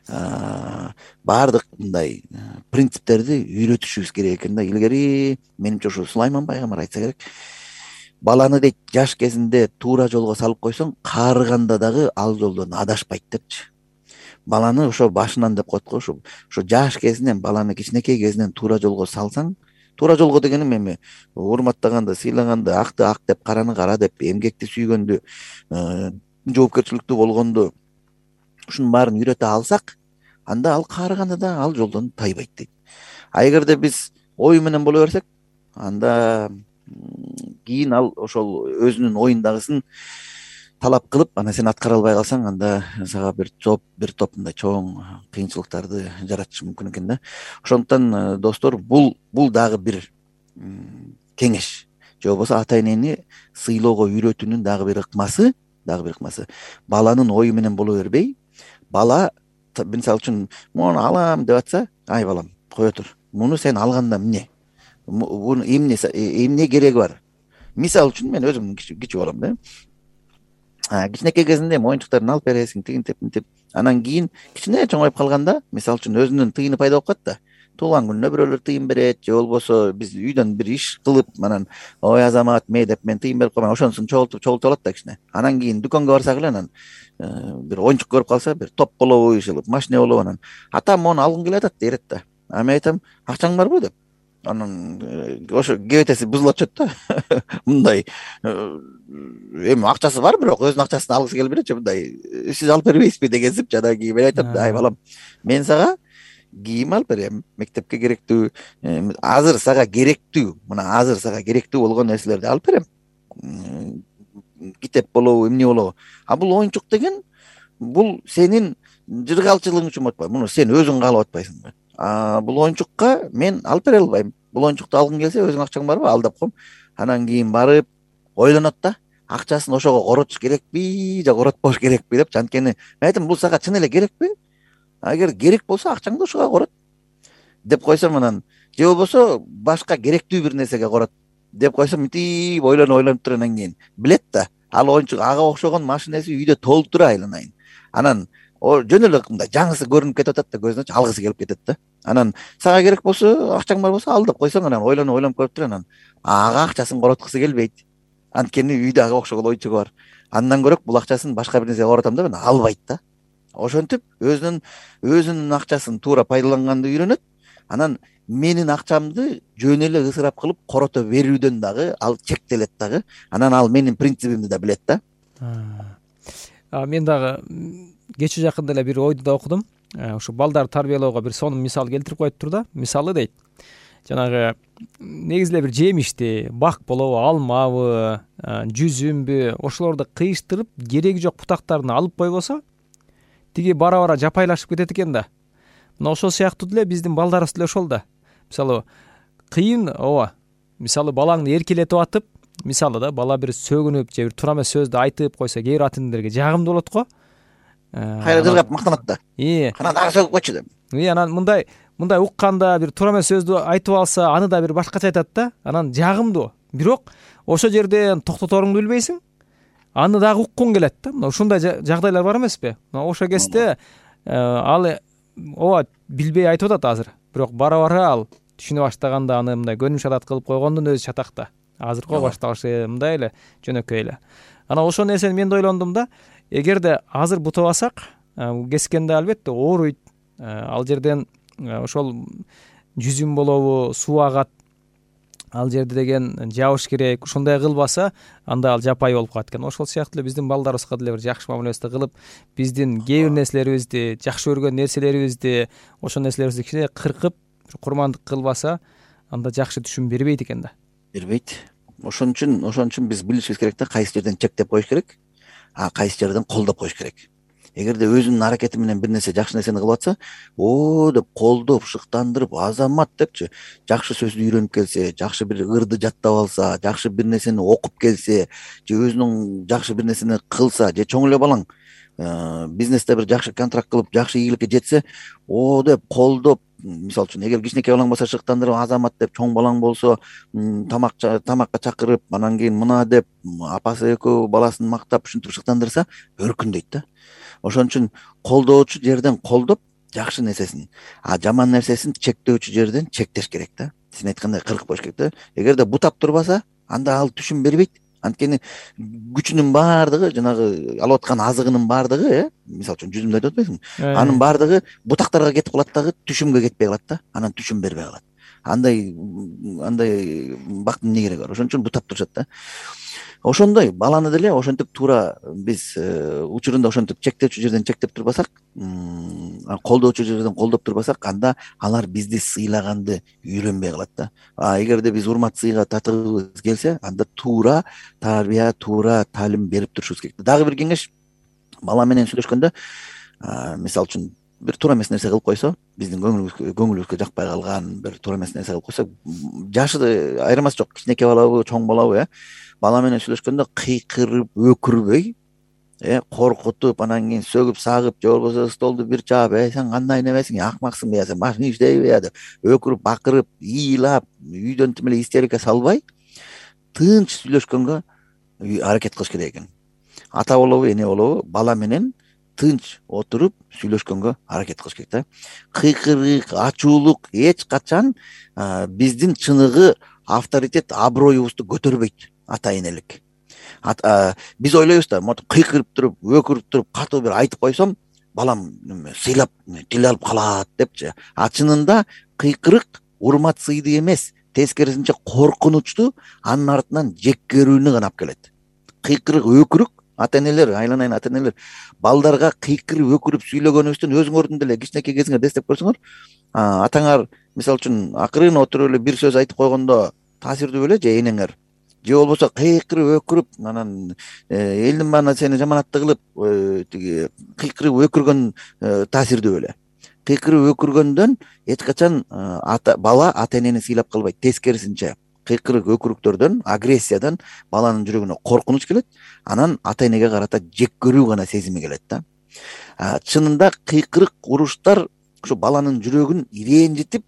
Speaker 2: баардык мындай принциптерди үйрөтүшүбүз керек экен да. Илгери менимче ушу Сулайман пайгамбар айтса керек, баланы дейт жаш кезинде туура жолго салып койсоң, каарыганда дагы ал жолдон адашпайт депчи. Баланы ошо башынан деп коет го, ошо ошо жаш кезинен, баланы кичинекей кезинен туура жолго салсаң, туура жолго дегеним эми урматтаганды, сыйлаганды, акты ак деп, караны кара деп, эмгекти сүйгөндү, жоопкерчиликтүү болгонду, ушунун баарын үйрөтө алсак, анда ал каарыганда да ал жолдон тайбайт дейт. А эгерде биз ою менен боло берсек, анда кийин ал ошол өзүнүн оюндагысын талап кылып, анан сен аткара албай калсаң, анда сага бир топ бир топ мындай чоң кыйынчылыктарды жаратышы мүмкүн экен да. Ошондуктан достор, бул бул дагы бир кеңеш, же болбосо ата энени сыйлоого үйрөтүүнүн дагы бир ыкмасы, дагы бир ыкмасы. Баланын ою менен боло бербей, бала мисалы үчүн муну алам деп атса, ай балам, кое тур. Муну сен алганда эмне? Муну эмне эмне кереги бар? Мисалы үчүн мен өзүм кичүү балам да. Кичинекей кезинде моюнчуктарын алып бересиң, тигинтип, мынтип. Анан кийин кичине чоңоюп калганда, мисалы үчүн өзүнүн тыйыны пайда болуп калат да. Туулган күнүнө бирөөлөр тыйын берет, же болбосо биз үйдөн бир иш кылып, анан ой Азамат, ме деп мен тыйын берип коймон, ошонусун чогултуп чогултуп алат да кичине. Анан кийин дүкөнгө барсак эле, анан бир оюнчук көрүп калса, бир топ болобу, иши машина болобу, анан атам мону алгым келип атат дейт да. А мен айтам, акчаң барбы деп. Анан ошо кебетеси бузулуп атышат да. Мындай эми акчасы бар, бирок өзүнүн акчасын алгысы келип берет, мындай сиз алып бербейсизби дегенсип, анан кийин мен айтам, ай балам, мен сага кийим алып берем, мектепке керектүү, азыр сага керектүү, мына азыр сага керектүү болгон нерселерди алып берем. Китеп болобу, эмне болобу. А бул оюнчук деген, бул сенин жыргалчылыгың үчүн болуп атпайбы, муну сен өзүң каалап атпайсыңбы? А бул оюнчукка мен алып бере албайм. Бул оюнчукту алгың келсе, өзүң акчаң барбы, ал деп коем. Анан кийин барып ойлонот да. акчасын ошого коротуш керекпи же коротпош керекпи депчи. Анткени мен айттым, бул сага чын эле керекпи? Эгер керек болсо акчаңды ошого корот деп койсом, анан же болбосо башка керектүү бир нерсеге корот деп койсом, мынтип ойлонуп ойлонуп туруп анан кийин билет да, ал оюнчук ага окшогон машинеси үйдө толуп тура айланайын. Анан жөн эле мындай жаңысы көрүнүп кетип атат да, көзүнө алгысы келип кетет да. Анан сага керек болсо, акчаң бар болсо ал деп койсоң, анан ойлонуп ойлонуп көрүп туруп анан ага акчасын короткусу келбейт. Анткени үйдө ага окшогон оюнчугу бар. Андан көрөк бул акчасын башка бир нерсеге коротом деп анан албайт да. Ошентип өзүнүн өзүнүн акчасын туура пайдаланганды үйрөнөт. Анан менин акчамды жөн эле ысырап кылып корото берүүдөн дагы ал чектелет дагы. Анан ал менин принцибимди да билет да.
Speaker 3: Мен дагы кечээ жакында эле бир ойду да окудум. Ушу балдарды тарбиялоого бир сонун мисал келтирип коюптур да. Мисалы дейт, жанагы негизи эле бир жемишти, бак болобу, алмабы, жүзүмбү, ошолорду кыйыштырып кереги жок бутактарын алып койбосо тиги бара-бара жапайлашып кетет экен да. Мына ошол сыяктуу деле биздин балдарыбыз деле ошол да. Мисалы кыйын, ооба. Мисалы балаңды эркелетип атып, мисалы да бала бир сөгүнүп же бир туура эмес сөздү айтып койсо, кээ бир ата энелерге жагымдуу болот го.
Speaker 2: Кайра жыргап мактанат да.
Speaker 3: Ии.
Speaker 2: Кана дагы сөгүп койчу деп.
Speaker 3: Ии, анан мындай мындай укканда бир туура эмес сөздү айтып алса, аны да бир башкача айтат да. Анан жагымдуу. Бирок ошол жерден токтоторуңду билбейсиң. Аны дагы уккуң келет да. Мына ушундай жагдайлар бар эмеспи? Мына ошол кезде ал ооба билбей айтып атат азыр. Бирок бара-бара ал түшүнө баштаганда аны мындай көнүм шатат кылып койгондун өзү чатак да. Азыркы башталышы мындай эле жөнөкөй эле. Анан ошол нерсени мен да ойлондум да. Эгерде азыр бутабасак, кескенде албетте ооруйт. Ал жерден ошол жүзүм болобу, суу агат. Ал жерде деген жабыш керек. Ушундай кылбаса, анда ал жапай болуп калат экен. Ошол сыяктуу эле биздин балдарыбызга деле бир жакшы мамилебизди кылып, биздин кээ бир нерселерибизди, жакшы көргөн нерселерибизди, ошол нерселерибизди кичине кыркып, курмандык кылбаса, анда жакшы түшүм бербейт экен да.
Speaker 2: Бербейт. Ошон үчүн, ошон үчүн биз билишибиз керек да, кайсы жерден чектеп коюш керек, а кайсы жерден колдоп коюш керек. Эгерде өзүнүн аракети менен бир нерсе жакшы нерсени кылып атса, о деп колдоп, шыктандырып, азамат депчи, жакшы сөздү үйрөнүп келсе, жакшы бир ырды жаттап алса, жакшы бир нерсени окуп келсе, же өзүнүн жакшы бир нерсени кылса, же чоң эле балаң бизнесте бир жакшы контракт кылып, жакшы ийгиликке жетсе, о деп колдоп, мисалы үчүн эгер кичинекей балаң болсо шыктандырып, азамат деп, чоң балаң болсо тамак тамакка чакырып, анан кийин мына деп апасы экөө баласын мактап, ушинтип шыктандырса, өркүндөйт да. Ошон үчүн колдоочу жерден колдоп, жакшы нерсесин, а жаман нерсесин чектөөчү жерден чектеш керек да. Сен айткандай кыркып коюш керек да. Эгерде бутап турбаса, анда ал түшүм бербейт. Анткени күчүнүн баардыгы, жанагы алып аткан азыгынын баардыгы, э, мисалы үчүн жүзүмдү айтып атпайсыңбы? Анын баардыгы бутактарга кетип калат дагы, түшүмгө кетпей калат да. Анан түшүм бербей калат. Андай андай бактын эмне кереги бар? Ошон үчүн бутап турушат да. Ошондой баланы деле ошентип туура биз учурунда ошентип чектөөчү жерден чектеп турбасак, колдоочу жерден колдоп турбасак, анда алар бизди сыйлаганды үйрөнбөй калат да. А эгерде биз урмат сыйга татыгыбыз келсе, анда туура тарбия, туура таалим берип турушубуз керек. Дагы бир кеңеш, бала менен сүйлөшкөндө, мисалы үчүн бир туура эмес нерсе кылып койсо, биздин көңүлүбүзгө көңүлүбүзгө жакпай калган бир туура эмес нерсе кылып койсо, жашы айырмасы жок, кичинекей балабы, чоң балабы, э, бала менен сүйлөшкөндө кыйкырып, өкүрбөй, э, коркутуп, анан кийин сөгүп, сагып, же болбосо столду бир чаап, э, сен кандай немесиң, акмаксыңбы, я сен башың иштейби, я деп өкүрүп, бакырып, ыйлап, үйдөн тим эле истерика салбай, тынч сүйлөшкөнгө аракет кылыш керек экен. Ата болобу, эне болобу, бала менен тынч отуруп сүйлөшкөнгө аракет кылыш керек да. Кыйкырык, ачуулук эч качан биздин чыныгы авторитет, аброюбузду көтөрбөйт. Ата энелик. Биз ойлойбуз да, монтип кыйкырып туруп, өкүрүп туруп, катуу бир айтып койсом, балам сыйлап, тил алып калат депчи. А чынында кыйкырык урмат сыйды эмес, тескерисинче коркунучту, анын артынан жек көрүүнү гана алып келет. Кыйкырык, өкүрүк, ата энелер, айланайын ата энелер, балдарга кыйкырып, өкүрүп сүйлөгөнүбүздөн өзүңөрдүн деле кичинекей кезиңер эстеп көрсөңөр, атаңар мисалы үчүн акырын отуруп эле бир сөз айтып койгондо таасирдүү беле, же энеңер, же болбосо кыйкырып, өкүрүп, анан элдин баарына сени жаманатты кылып, тиги кыйкырып, өкүргөн таасирдүү беле. Кыйкырып, өкүргөндөн эч качан бала ата энени сыйлап калбайт, тескерисинче кыйкырык өкүрүктөрдөн, агрессиядан баланын жүрөгүнө коркунуч келет, анан ата энеге карата жек көрүү гана сезими келет да. Чынында кыйкырык уруштар ушу баланын жүрөгүн ренжитип,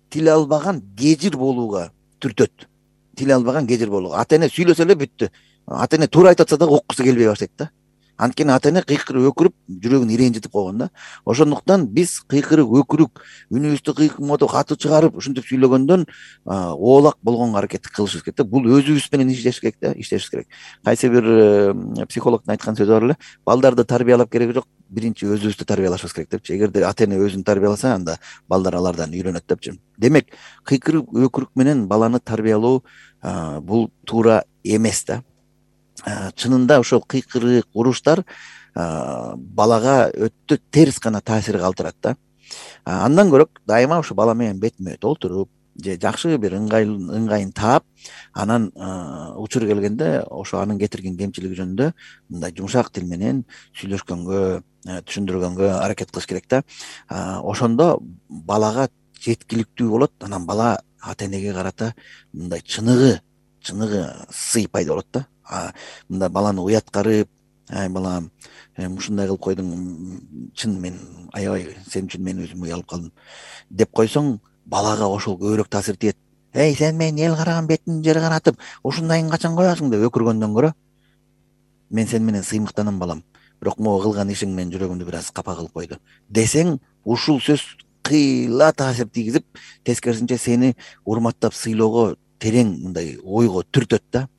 Speaker 2: тил албаган кежир болууга түртөт. Тил албаган кежир болууга. Ата эне сүйлөсө эле бүттү. Ата эне туура айтып атса дагы уккусу келбей баштайт да. Анткени ата эне кыйкырып өкүрүп, жүрөгүн ренжитип койгон да. Ошондуктан биз кыйкырык өкүрүк, үнүбүздү кыйкырмотуп, катуу чыгарып, ушинтип сүйлөгөндөн оолак болгонго аракет кылышыбыз керек да. Бул өзүбүз менен иштеш керек да, иштешибиз керек. Кайсы бир психологдун айткан сөзү бар эле, балдарды тарбиялап кереги жок, биринчи өзүбүздү тарбиялашыбыз керек депчи. Эгерде ата эне өзүн тарбияласа, анда балдар алардан үйрөнөт депчи. Демек, кыйкырык өкүрүк менен баланы тарбиялоо бул туура эмес да. Чынында ошол кыйкырык уруштар балага өтө терс гана таасир калтырат да. Андан көрөк дайыма ушу бала менен бетме бет отуруп, же жакшы бир ыңгайын таап, анан учур келгенде ошо анын кетирген кемчилиги жөнүндө мындай жумшак тил менен сүйлөшкөнгө, түшүндүргөнгө аракет кылыш керек да. Ошондо балага жеткиликтүү болот, анан бала ата энеге карата мындай чыныгы, чыныгы сый пайда болот да. Мындай баланы уяткарып, ай балам, ушундай кылып койдуң, чын мен аябай сен үчүн мен өзүм уялып калдым деп койсоң, балага ошол көбүрөөк таасир тиет. Эй, сен менин эл караган бетимди жер каратып, ушундайын качан коесуң деп өкүргөндөн көрө, мен сен менен сыймыктанам балам, бирок могу кылган ишиң менин жүрөгүмдү бир аз капа кылып койду десең, ушул сөз кыйла таасир тийгизип, тескерисинче сени урматтап сыйлоого, терең мындай ойго түртөт да.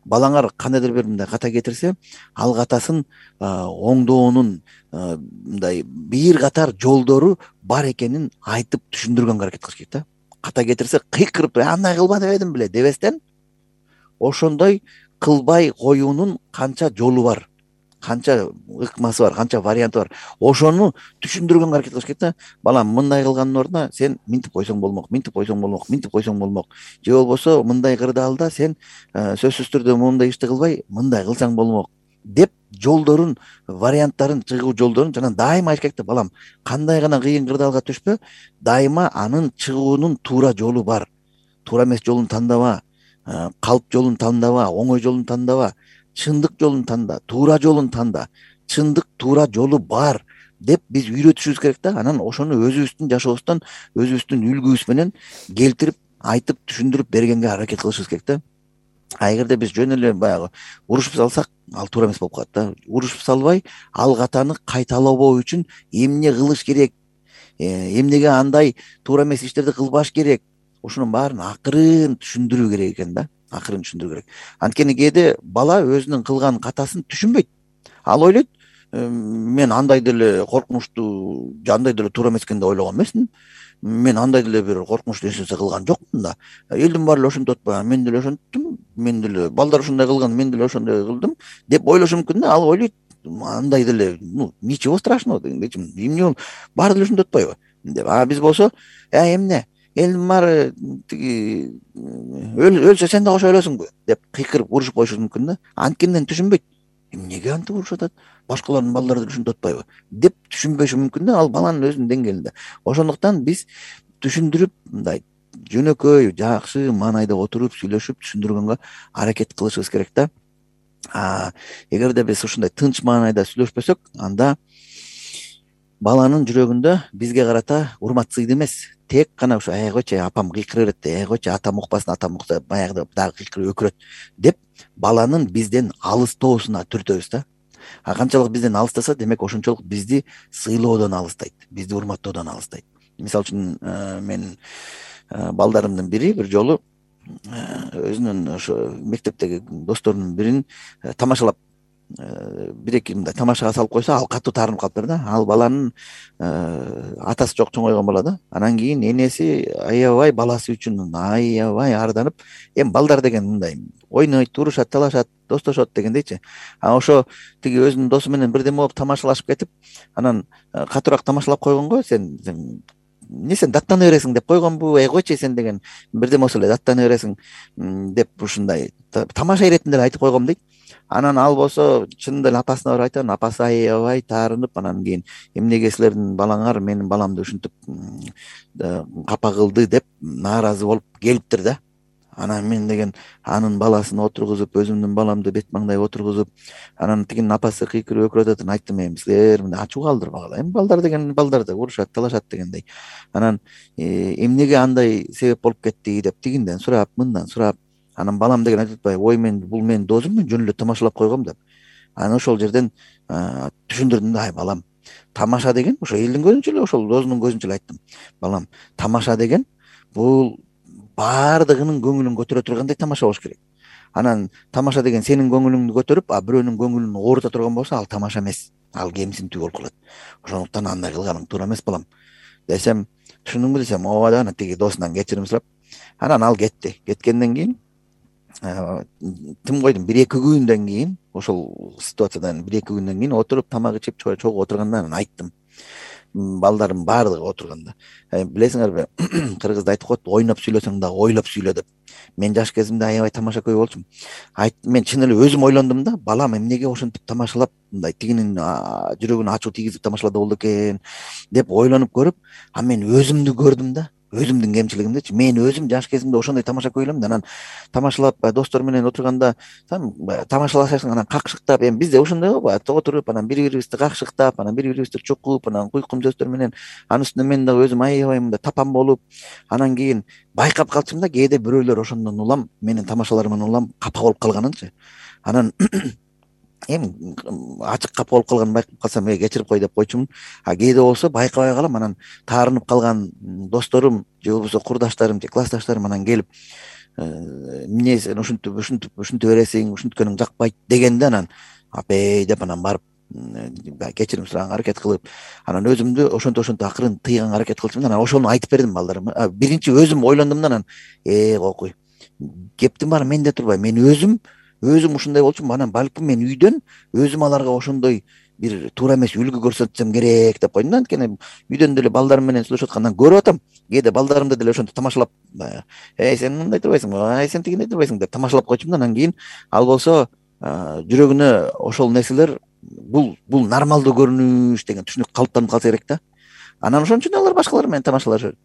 Speaker 2: Балаңар кандайдыр бир мындай ката кетирсе, ал катасын оңдоонун мындай бир катар жолдору бар экенин айтып түшүндүргөнгө аракет кылыш керек да. Ката кетирсе, кыйкырып, андай кылба дебедим беле дебестен, ошондой кылбай коюунун канча жолу бар, канча ыкмасы бар, канча варианты бар. Ошону түшүндүргөнгө аракет кылыш керек да. Балам, мындай кылгандын ордуна сен минтип койсоң болмок, минтип койсоң болмок, минтип койсоң болмок. Же болбосо мындай кырдаалда сен сөзсүз түрдө моундай ишти кылбай, мындай кылсаң болмок деп жолдорун, варианттарын, чыгуу жолдорун жана дайыма айтыш керек да. Балам, кандай гана кыйын кырдаалга түшпө, дайыма анын чыгуунун туура жолу бар. Туура эмес жолун тандава, калп жолун тандава, оңой жолун тандава. Чындык жолун танда, туура жолун танда, чындык туура жолу бар деп биз үйрөтүшүбүз керек да. Анан ошону өзүбүздүн жашообуздан, өзүбүздүн үлгүбүз менен келтирип, айтып, түшүндүрүп бергенге аракет кылышыбыз керек да. А эгерде биз жөн эле баягы урушуп салсак, ал туура эмес болуп калат да. Урушуп салбай, ал катаны кайталабоо үчүн эмне кылыш керек, эмнеге андай туура эмес иштерди кылбаш керек, ошонун баарын акырын түшүндүрүү керек экен да. Акырын түшүндүрүү керек. Анткени кээде бала өзүнүн кылган катасын түшүнбөйт. Ал ойлойт, мен андай деле коркунучтуу, андай деле туура эмес экен деп ойлогон эмесмин. Мен андай деле бир коркунучтуу нерсе кылган жокмун да. Элдин баары эле ошентип атпайбы? Мен деле ошенттим, мен деле балдар ушундай кылган, мен деле ошондой кылдым деп ойлошу мүмкүн да. Ал ойлойт, андай деле, ну, ничего страшного дегендейчи. Эмне бол, баары деле ошентип атпайбы деп. А биз болсо, э, эмне? Элдин баары тиги өлсө сен да ошо өлөсүңбү деп кыйкырып урушуп коюшу мүмкүн да. Анткенден түшүнбөйт. Эмнеге антип урушуп атат? Башкалардын балдары ушинтип атпайбы деп түшүнбөшү мүмкүн да. Ал баланын өзүнүн деңгээлинде. Ошондуктан биз түшүндүрүп, мындай жөнөкөй, жакшы маанайда отуруп сүйлөшүп түшүндүргөнгө аракет кылышыбыз керек да. А эгерде биз ушундай тынч маанайда сүйлөшпөсөк, анда баланын жүрөгүндө бизге карата урмат сыйды эмес, тек гана ушу ай койчу, апам кыйкыра берет, ай койчу, атам укпасын, атам укса баягы дагы кыйкырып өкүрөт деп баланын бизден алыстоосуна түртөбүз да. А канчалык бизден алыстаса, демек ошончолук бизди сыйлоодон алыстайт, бизди урматтоодон алыстайт. Мисалы үчүн мен балдарымдын бири бир жолу өзүнүн ошо мектептеги досторунун бирин тамашалап, бир эки мындай тамашага салып койсо, ал катуу таарынып калыптыр да. Ал баланын атасы жок, чоңойгон бала да. Анан кийин энеси аябай баласы үчүн аябай арданып, эми балдар деген мындай ойнойт, урушат, талашат, достошот дегендейчи. А ошо тиги өзүнүн досу менен бирдеме болуп тамашалашып кетип, анан катуураак тамашалап койгонго, сен эмне сен даттана бересиң деп койгонбу, эй койчу сен деген бирдеме болсо эле даттана бересиң деп ушундай тамаша иретинде эле айтып койгом дейт. Анан ал болсо чынында эле апасына барып айтат, апасы аябай таарынып, анан кийин эмнеге силердин балаңар менин баламды ушинтип капа кылды деп нааразы болуп келиптир да. анан мен деген анын баласын отургузуп, өзүмдүн баламды бет маңдай отургузуп, анан тигинин апасы кыйкырып өкүрүп атат. Айттым, эми силер мындай ачуу калтырбагыла, эми балдар деген балдар да урушат, талашат дегендей. Анан эмнеге андай себеп болуп кетти деп тигинден сурап, мындан сурап, анан балам деген айтып атпайбы, ой мен бул менин досум, мен жөн эле тамашалап койгом деп. Анан ошол жерден түшүндүрдүм да, ай балам, тамаша деген ошо элдин көзүнчө эле, ошол досунун көзүнчө эле айттым. Балам, тамаша деген бул баардыгынын көңүлүн көтөрө тургандай тамаша болуш керек. Анан тамаша деген сенин көңүлүңдү көтөрүп, а бирөөнүн көңүлүн оорута турган болсо, ал тамаша эмес, ал кемсинтүү болуп калат. Ошондуктан андай кылганың туура эмес балам десем, түшүндүңбү десем, ооба деп, анан тиги досунан кечирим сурап, анан ал кетти. Кеткенден кийин тим койдум, бир эки күндөн кийин, ошол ситуациядан бир эки күндөн кийин отуруп тамак ичип чогуу отурганда анан айттым. Балдарым баардыгы отурганда, билесиңерби, кыргызда айтып коет, ойноп сүйлөсөң дагы ойлоп сүйлө деп. Мен жаш кезимде аябай тамаша көй болчумун. Айттым, мен чын эле өзүм ойлондум да, балам эмнеге ошентип тамашалап, мындай тигинин жүрөгүнө ачуу тийгизип тамашалады болду экен деп ойлонуп көрүп, а мен өзүмдү көрдүм да, өзүмдүн кемчилигимдичи. Мен өзүм жаш кезимде ошондой тамаша көй элем да, анан тамашалап достор менен отурганда тамашалашасың, анан какшыктап, эми бизде ошондой го баягы отуруп, анан бири бирибизди какшыктап, анан бири бирибизди чукуп, анан куйкум сөздөр менен, анын үстүнө мен дагы өзүм аябай мындай тапан болуп, анан кийин байкап калчумун да, кээде бирөөлөр ошондон улам, менин тамашаларыман улам капа болуп калганынчы. Анан эми ачык капа болуп калганын байкап калсам, э кечирип кой деп койчумун. А кээде болсо байкабай калам, анан таарынып калган досторум же болбосо курдаштарым же классташтарым анан келип, эмне сен ушинтип ушинтип ушинте бересиң, ушинткөнүң жакпайт дегенде, анан апей деп анан барып кечирим сураганга аракет кылып, анан өзүмдү ошентип ошентип акырын тыйганга аракет кылчумун. Анан ошону айтып бердим балдарыма. Биринчи өзүм ойлондум да, анан э кокуй, кептин баары менде турбайбы, мен өзүм өзүм ушундай болчумун, анан балким мен үйдөн өзүм аларга ошондой бир туура эмес үлгү көрсөтсөм керек деп койдум да. Анткени үйдөн деле балдарым менен сүйлөшүп аткандан көрүп атам, кээде балдарымды деле ошентип тамашалап, эй сен мындай турбайсыңбы, ай сен тигиндей турбайсың деп тамашалап койчумун да. Анан кийин ал болсо жүрөгүнө ошол нерселер бул бул нормалдуу көрүнүш деген түшүнүк калыптанып калса керек да. Анан ошон үчүн алар башкалар менен тамашалашат.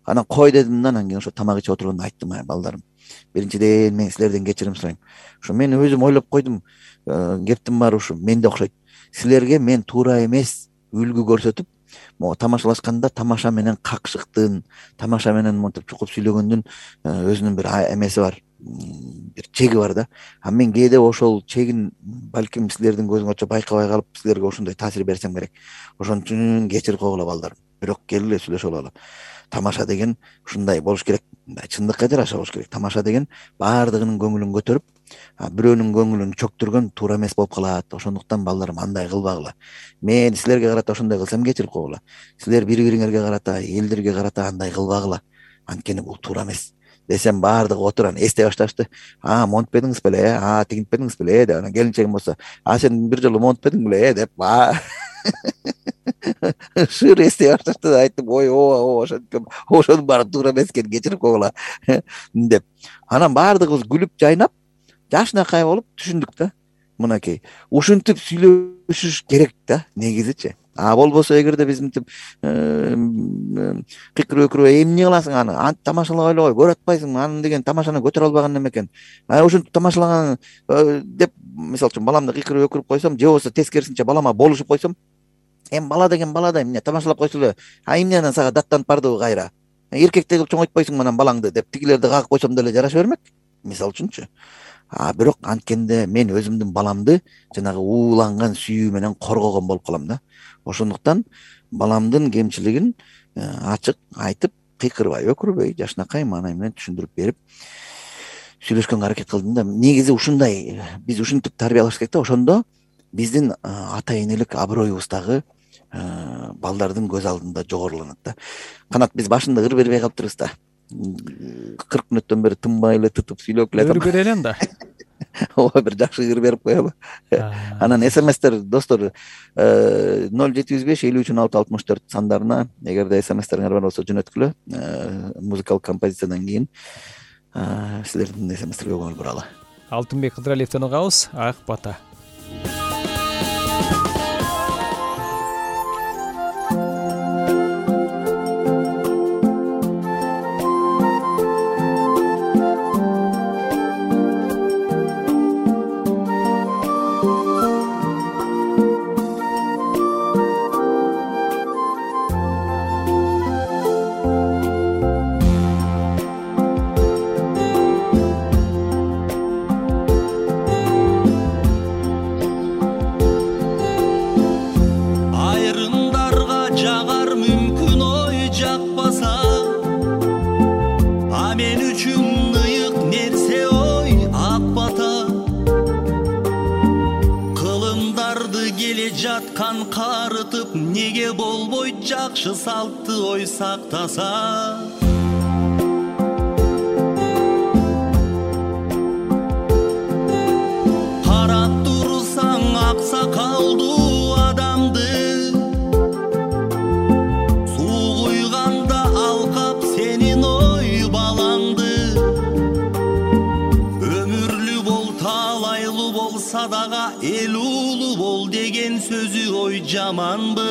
Speaker 2: Анан кой дедим да, анан кийин ошо тамак ичип отурганда айттым, ай балдарым, биринчиден мен силерден кечирим сурайм. Ушу мен өзүм ойлоп койдум, кептин баары ушу менде окшойт. Силерге мен туура эмес үлгү көрсөтүп, могу тамашалашканда тамаша менен какшыктын, тамаша менен монтип чукуп сүйлөгөндүн өзүнүн бир эмеси бар, бир чеги бар да. А мен кээде ошол чегин балким силердин көзүңөрчө байкабай калып, силерге ошондой таасир берсем керек. Ошон үчүн кечирип койгула балдарым. Бирок келгиле сүйлөшүп алалы. Тамаша деген ушундай болуш керек, мындай чындыкка жараша болуш керек. Тамаша деген баардыгынын көңүлүн көтөрүп, бирөөнүн көңүлүн чөктүргөн туура эмес болуп калат. Ошондуктан балдарым андай кылбагыла. Мен силерге карата ошондой кылсам кечирип койгула. Силер бири бириңерге карата, элдерге карата андай кылбагыла. Анткени бул туура эмес десем, баардыгы отуран эстей башташты. А монтпедиңиз беле, а тигинтпедиңиз беле деп. Анан келинчегим болсо, а сен бир жолу монтпедиң беле деп шыр эстей башташты да. Айттым, ой ооба ооба ошентип, ошонун баары туура эмес экен, кечирип койгула деп. Анан баардыгыбыз күлүп жайнап, жашынакай болуп түшүндүк да. Мынакей ушинтип сүйлөшүш керек да негизичи. А болбосо эгерде биз мынтип кыйкырып өкүрүп, эмне кыласың аны, аны тамашалабай эле кой, көрүп атпайсыңбы, аны деген тамашаны көтөрө албаган неме экен. А ошентип тамашалаган деп, мисалы үчүн баламды кыйкырып өкүрүп койсом, же болбосо тескерисинче балама болушуп койсом, эми бала деген бала да, эмне тамашалап койсо эле, а эмне анан сага даттанып бардыбы кайра, эркектей кылып чоңойтпойсуңбу анан балаңды деп тигилерди кагып койсом деле жараша бермек, мисалы үчүнчү. А бирок анткенде мен өзүмдүн баламды жанагы ууланган сүйүү менен коргогон болуп калам да. Ошондуктан баламдын кемчилигин ачык айтып, кыйкырбай өкүрбөй, жашынакай маанай менен түшүндүрүп берип сүйлөшкөнгө аракет кылдым да. Негизи ушундай биз ушинтип тарбиялаш керек да. Ошондо биздин ата энелик аброюбуз дагы балдардын көз алдында жогоруланат да. Канат биз башында ыр бербей калыптырбыз да. кырк мүнөттөн бери тынбай эле тытып сүйлөп эле
Speaker 3: ыр берелен да.
Speaker 2: Ооба, бир жакшы ыр берип коелу. Анан смстер достор ноль жети жүз беш элүү үч он алты алтымыш төрт сандарына эгерде смстериңер бар болсо жөнөткүлө. Музыкалык композициядан кийин силердин смстерге көңүл буралы.
Speaker 3: Алтынбек Кыдыралиевден угабыз, Ак бата.
Speaker 4: неге болбойт жакшы салтты ой сактаса. Карап турсаң аксакалдуу адамды, суу куйганда алкап сенин ой балаңды. Өмүрлүү бол, талайлуу болса дагы эл уулуу бол деген сөзү ой жаманбы?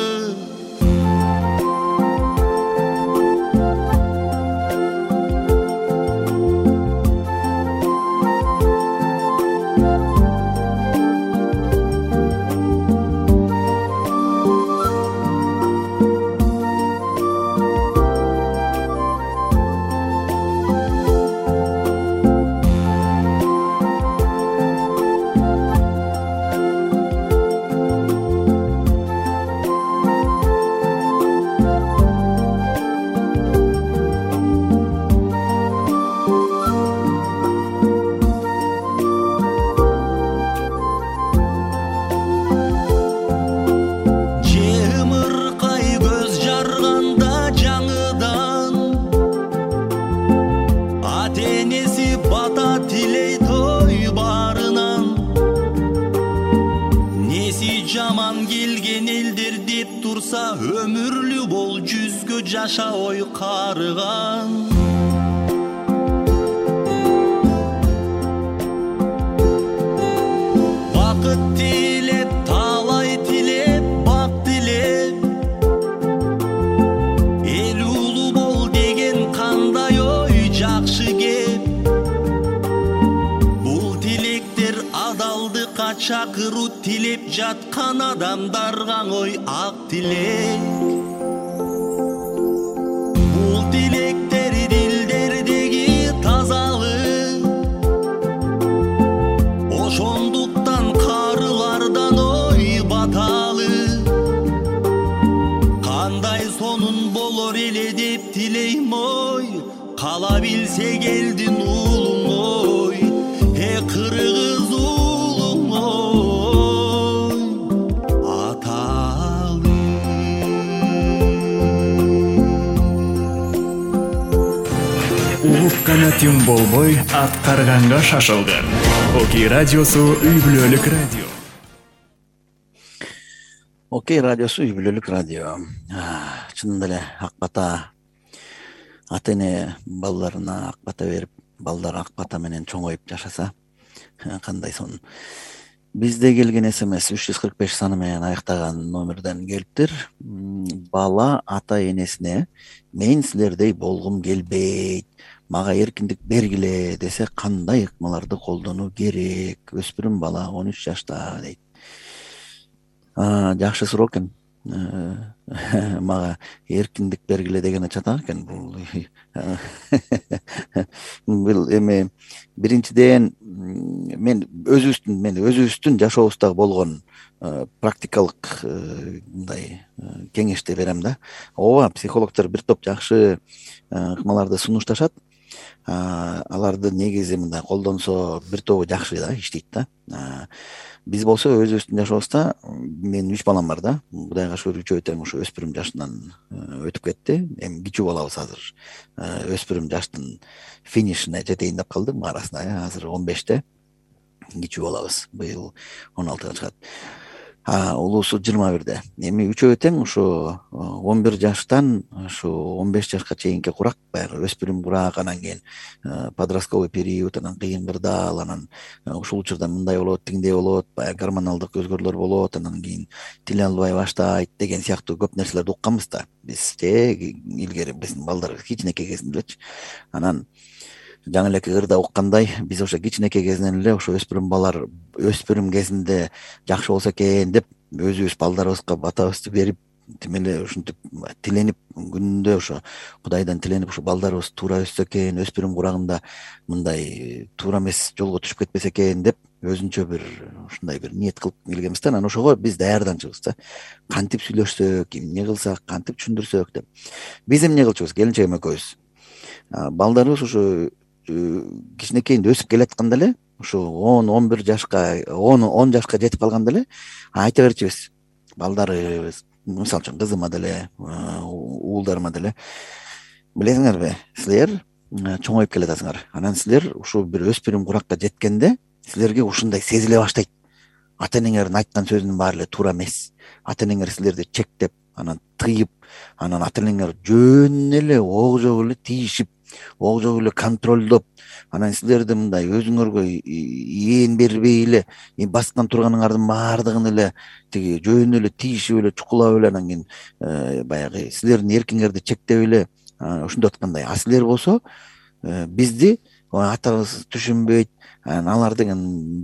Speaker 4: Өмүрлүү бол, жүзгө жаша ой карыган. Бакыт тилеп, талай тилеп, бак тилеп, эл уулуу бол деген кандай ой жакшы кеп. Бул тилектер адалдыкка чакыруу, тилеп жаткан адамдарга ой ак тилек. Бул тилектер дилдердеги тазалык, ошондуктан карылардан ой баталы. Кандай сонун болор эле деп тилейм ой, кала билсе келдин уулуң ой, э кыргыз уулуң ой, аталы.
Speaker 1: Улуп канатым болбой, аткарганга шашылган. Окей радиосу үй бүлөлүк радио.
Speaker 2: Окей радиосу үй бүлөлүк радио. Чынында эле ак бата ата эне балдарына ак бата берип, балдар ак бата менен чоңоюп жашаса кандай сонун. Бизде келген смс үч жүз кырк беш саны менен аяктаган номерден келиптир. Бала ата энесине мен силердей болгум келбейт, мага эркиндик бергиле десе кандай ыкмаларды колдонуу керек? Өспүрүм бала он үч жашта дейт. Жакшы суроо экен. Мага эркиндик бергиле деген чатак экен бул. Бул эми биринчиден мен өзүбүздүн мен өзүбүздүн жашообузда болгон практикалык мындай кеңешти берем да. Ооба, психологдор бир топ жакшы ыкмаларды сунушташат. Аларды негизи мындай колдонсо бир тобу жакшы да иштейт да. Биз болсо өзүбүздүн жашообузда, менин үч балам бар да. Кудайга шүгүр үчөө тең ошо өспүрүм жашынан өтүп кетти. Эми кичүү балабыз азыр өспүрүм жаштын финишине жетейин деп калдым арасында. Азыр он беште кичүү балабыз. Быйыл он алтыга чыгат. Улуусу жыйырма бирде. Эми үчөө тең ошо он бир жаштан ошо он беш жашка чейинки курак, баягы өспүрүм курак, анан кийин подростковый период, анан кыйын кырдаал, анан ушул учурда мындай болот, тигиндей болот, баягы гормоналдык өзгөрүүлөр болот, анан кийин тил албай баштайт деген сыяктуу көп нерселерди укканбыз да. Биз же илгери биздин балдар кичинекей кезинделечи. Анан жаңы элеки ырда уккандай, биз ошо кичинекей кезинен эле ошо өспүрүм балдар өспүрүм кезинде жакшы болсо экен деп өзүбүз балдарыбызга батабызды берип, тим эле ушинтип тиленип, күнүндө ошо Кудайдан тиленип, ошо балдарыбыз туура өссө экен, өспүрүм курагында мындай туура эмес жолго түшүп кетпесе экен деп өзүнчө бир ушундай бир ниет кылып келгенбиз да. Анан ошого биз даярданчыбыз да. Кантип сүйлөшсөк, эмне кылсак, кантип түшүндүрсөк деп. Биз эмне кылчубыз? Келинчегим экөөбүз. Балдарыбыз ошо кичинекейинде өсүп келатканда эле, ошо он он бир жашка, он он жашка жетип калганда эле айта берчүбүз. Балдарыбыз, мисалы үчүн кызыма деле, уулдарыма деле, билесиңерби, силер чоңоюп келатасыңар. Анан силер ушул бир өспүрүм куракка жеткенде силерге ушундай сезиле баштайт. Ата энеңердин айткан сөзүнүн баары эле туура эмес. Ата энеңер силерди чектеп, анан тыйып, анан ата энеңер жөн эле огжоп эле тийишип, огжоп эле контролдоп, анан силерди мындай өзүңөргө ээн бербей эле баскан турганыңардын баардыгын эле тиги жөн эле тийишип эле, чукулап эле, анан кийин баягы силердин эркиңерди чектеп эле ошондой аткандай. А силер болсо бизди атабыз түшүнбөйт, анан алар деген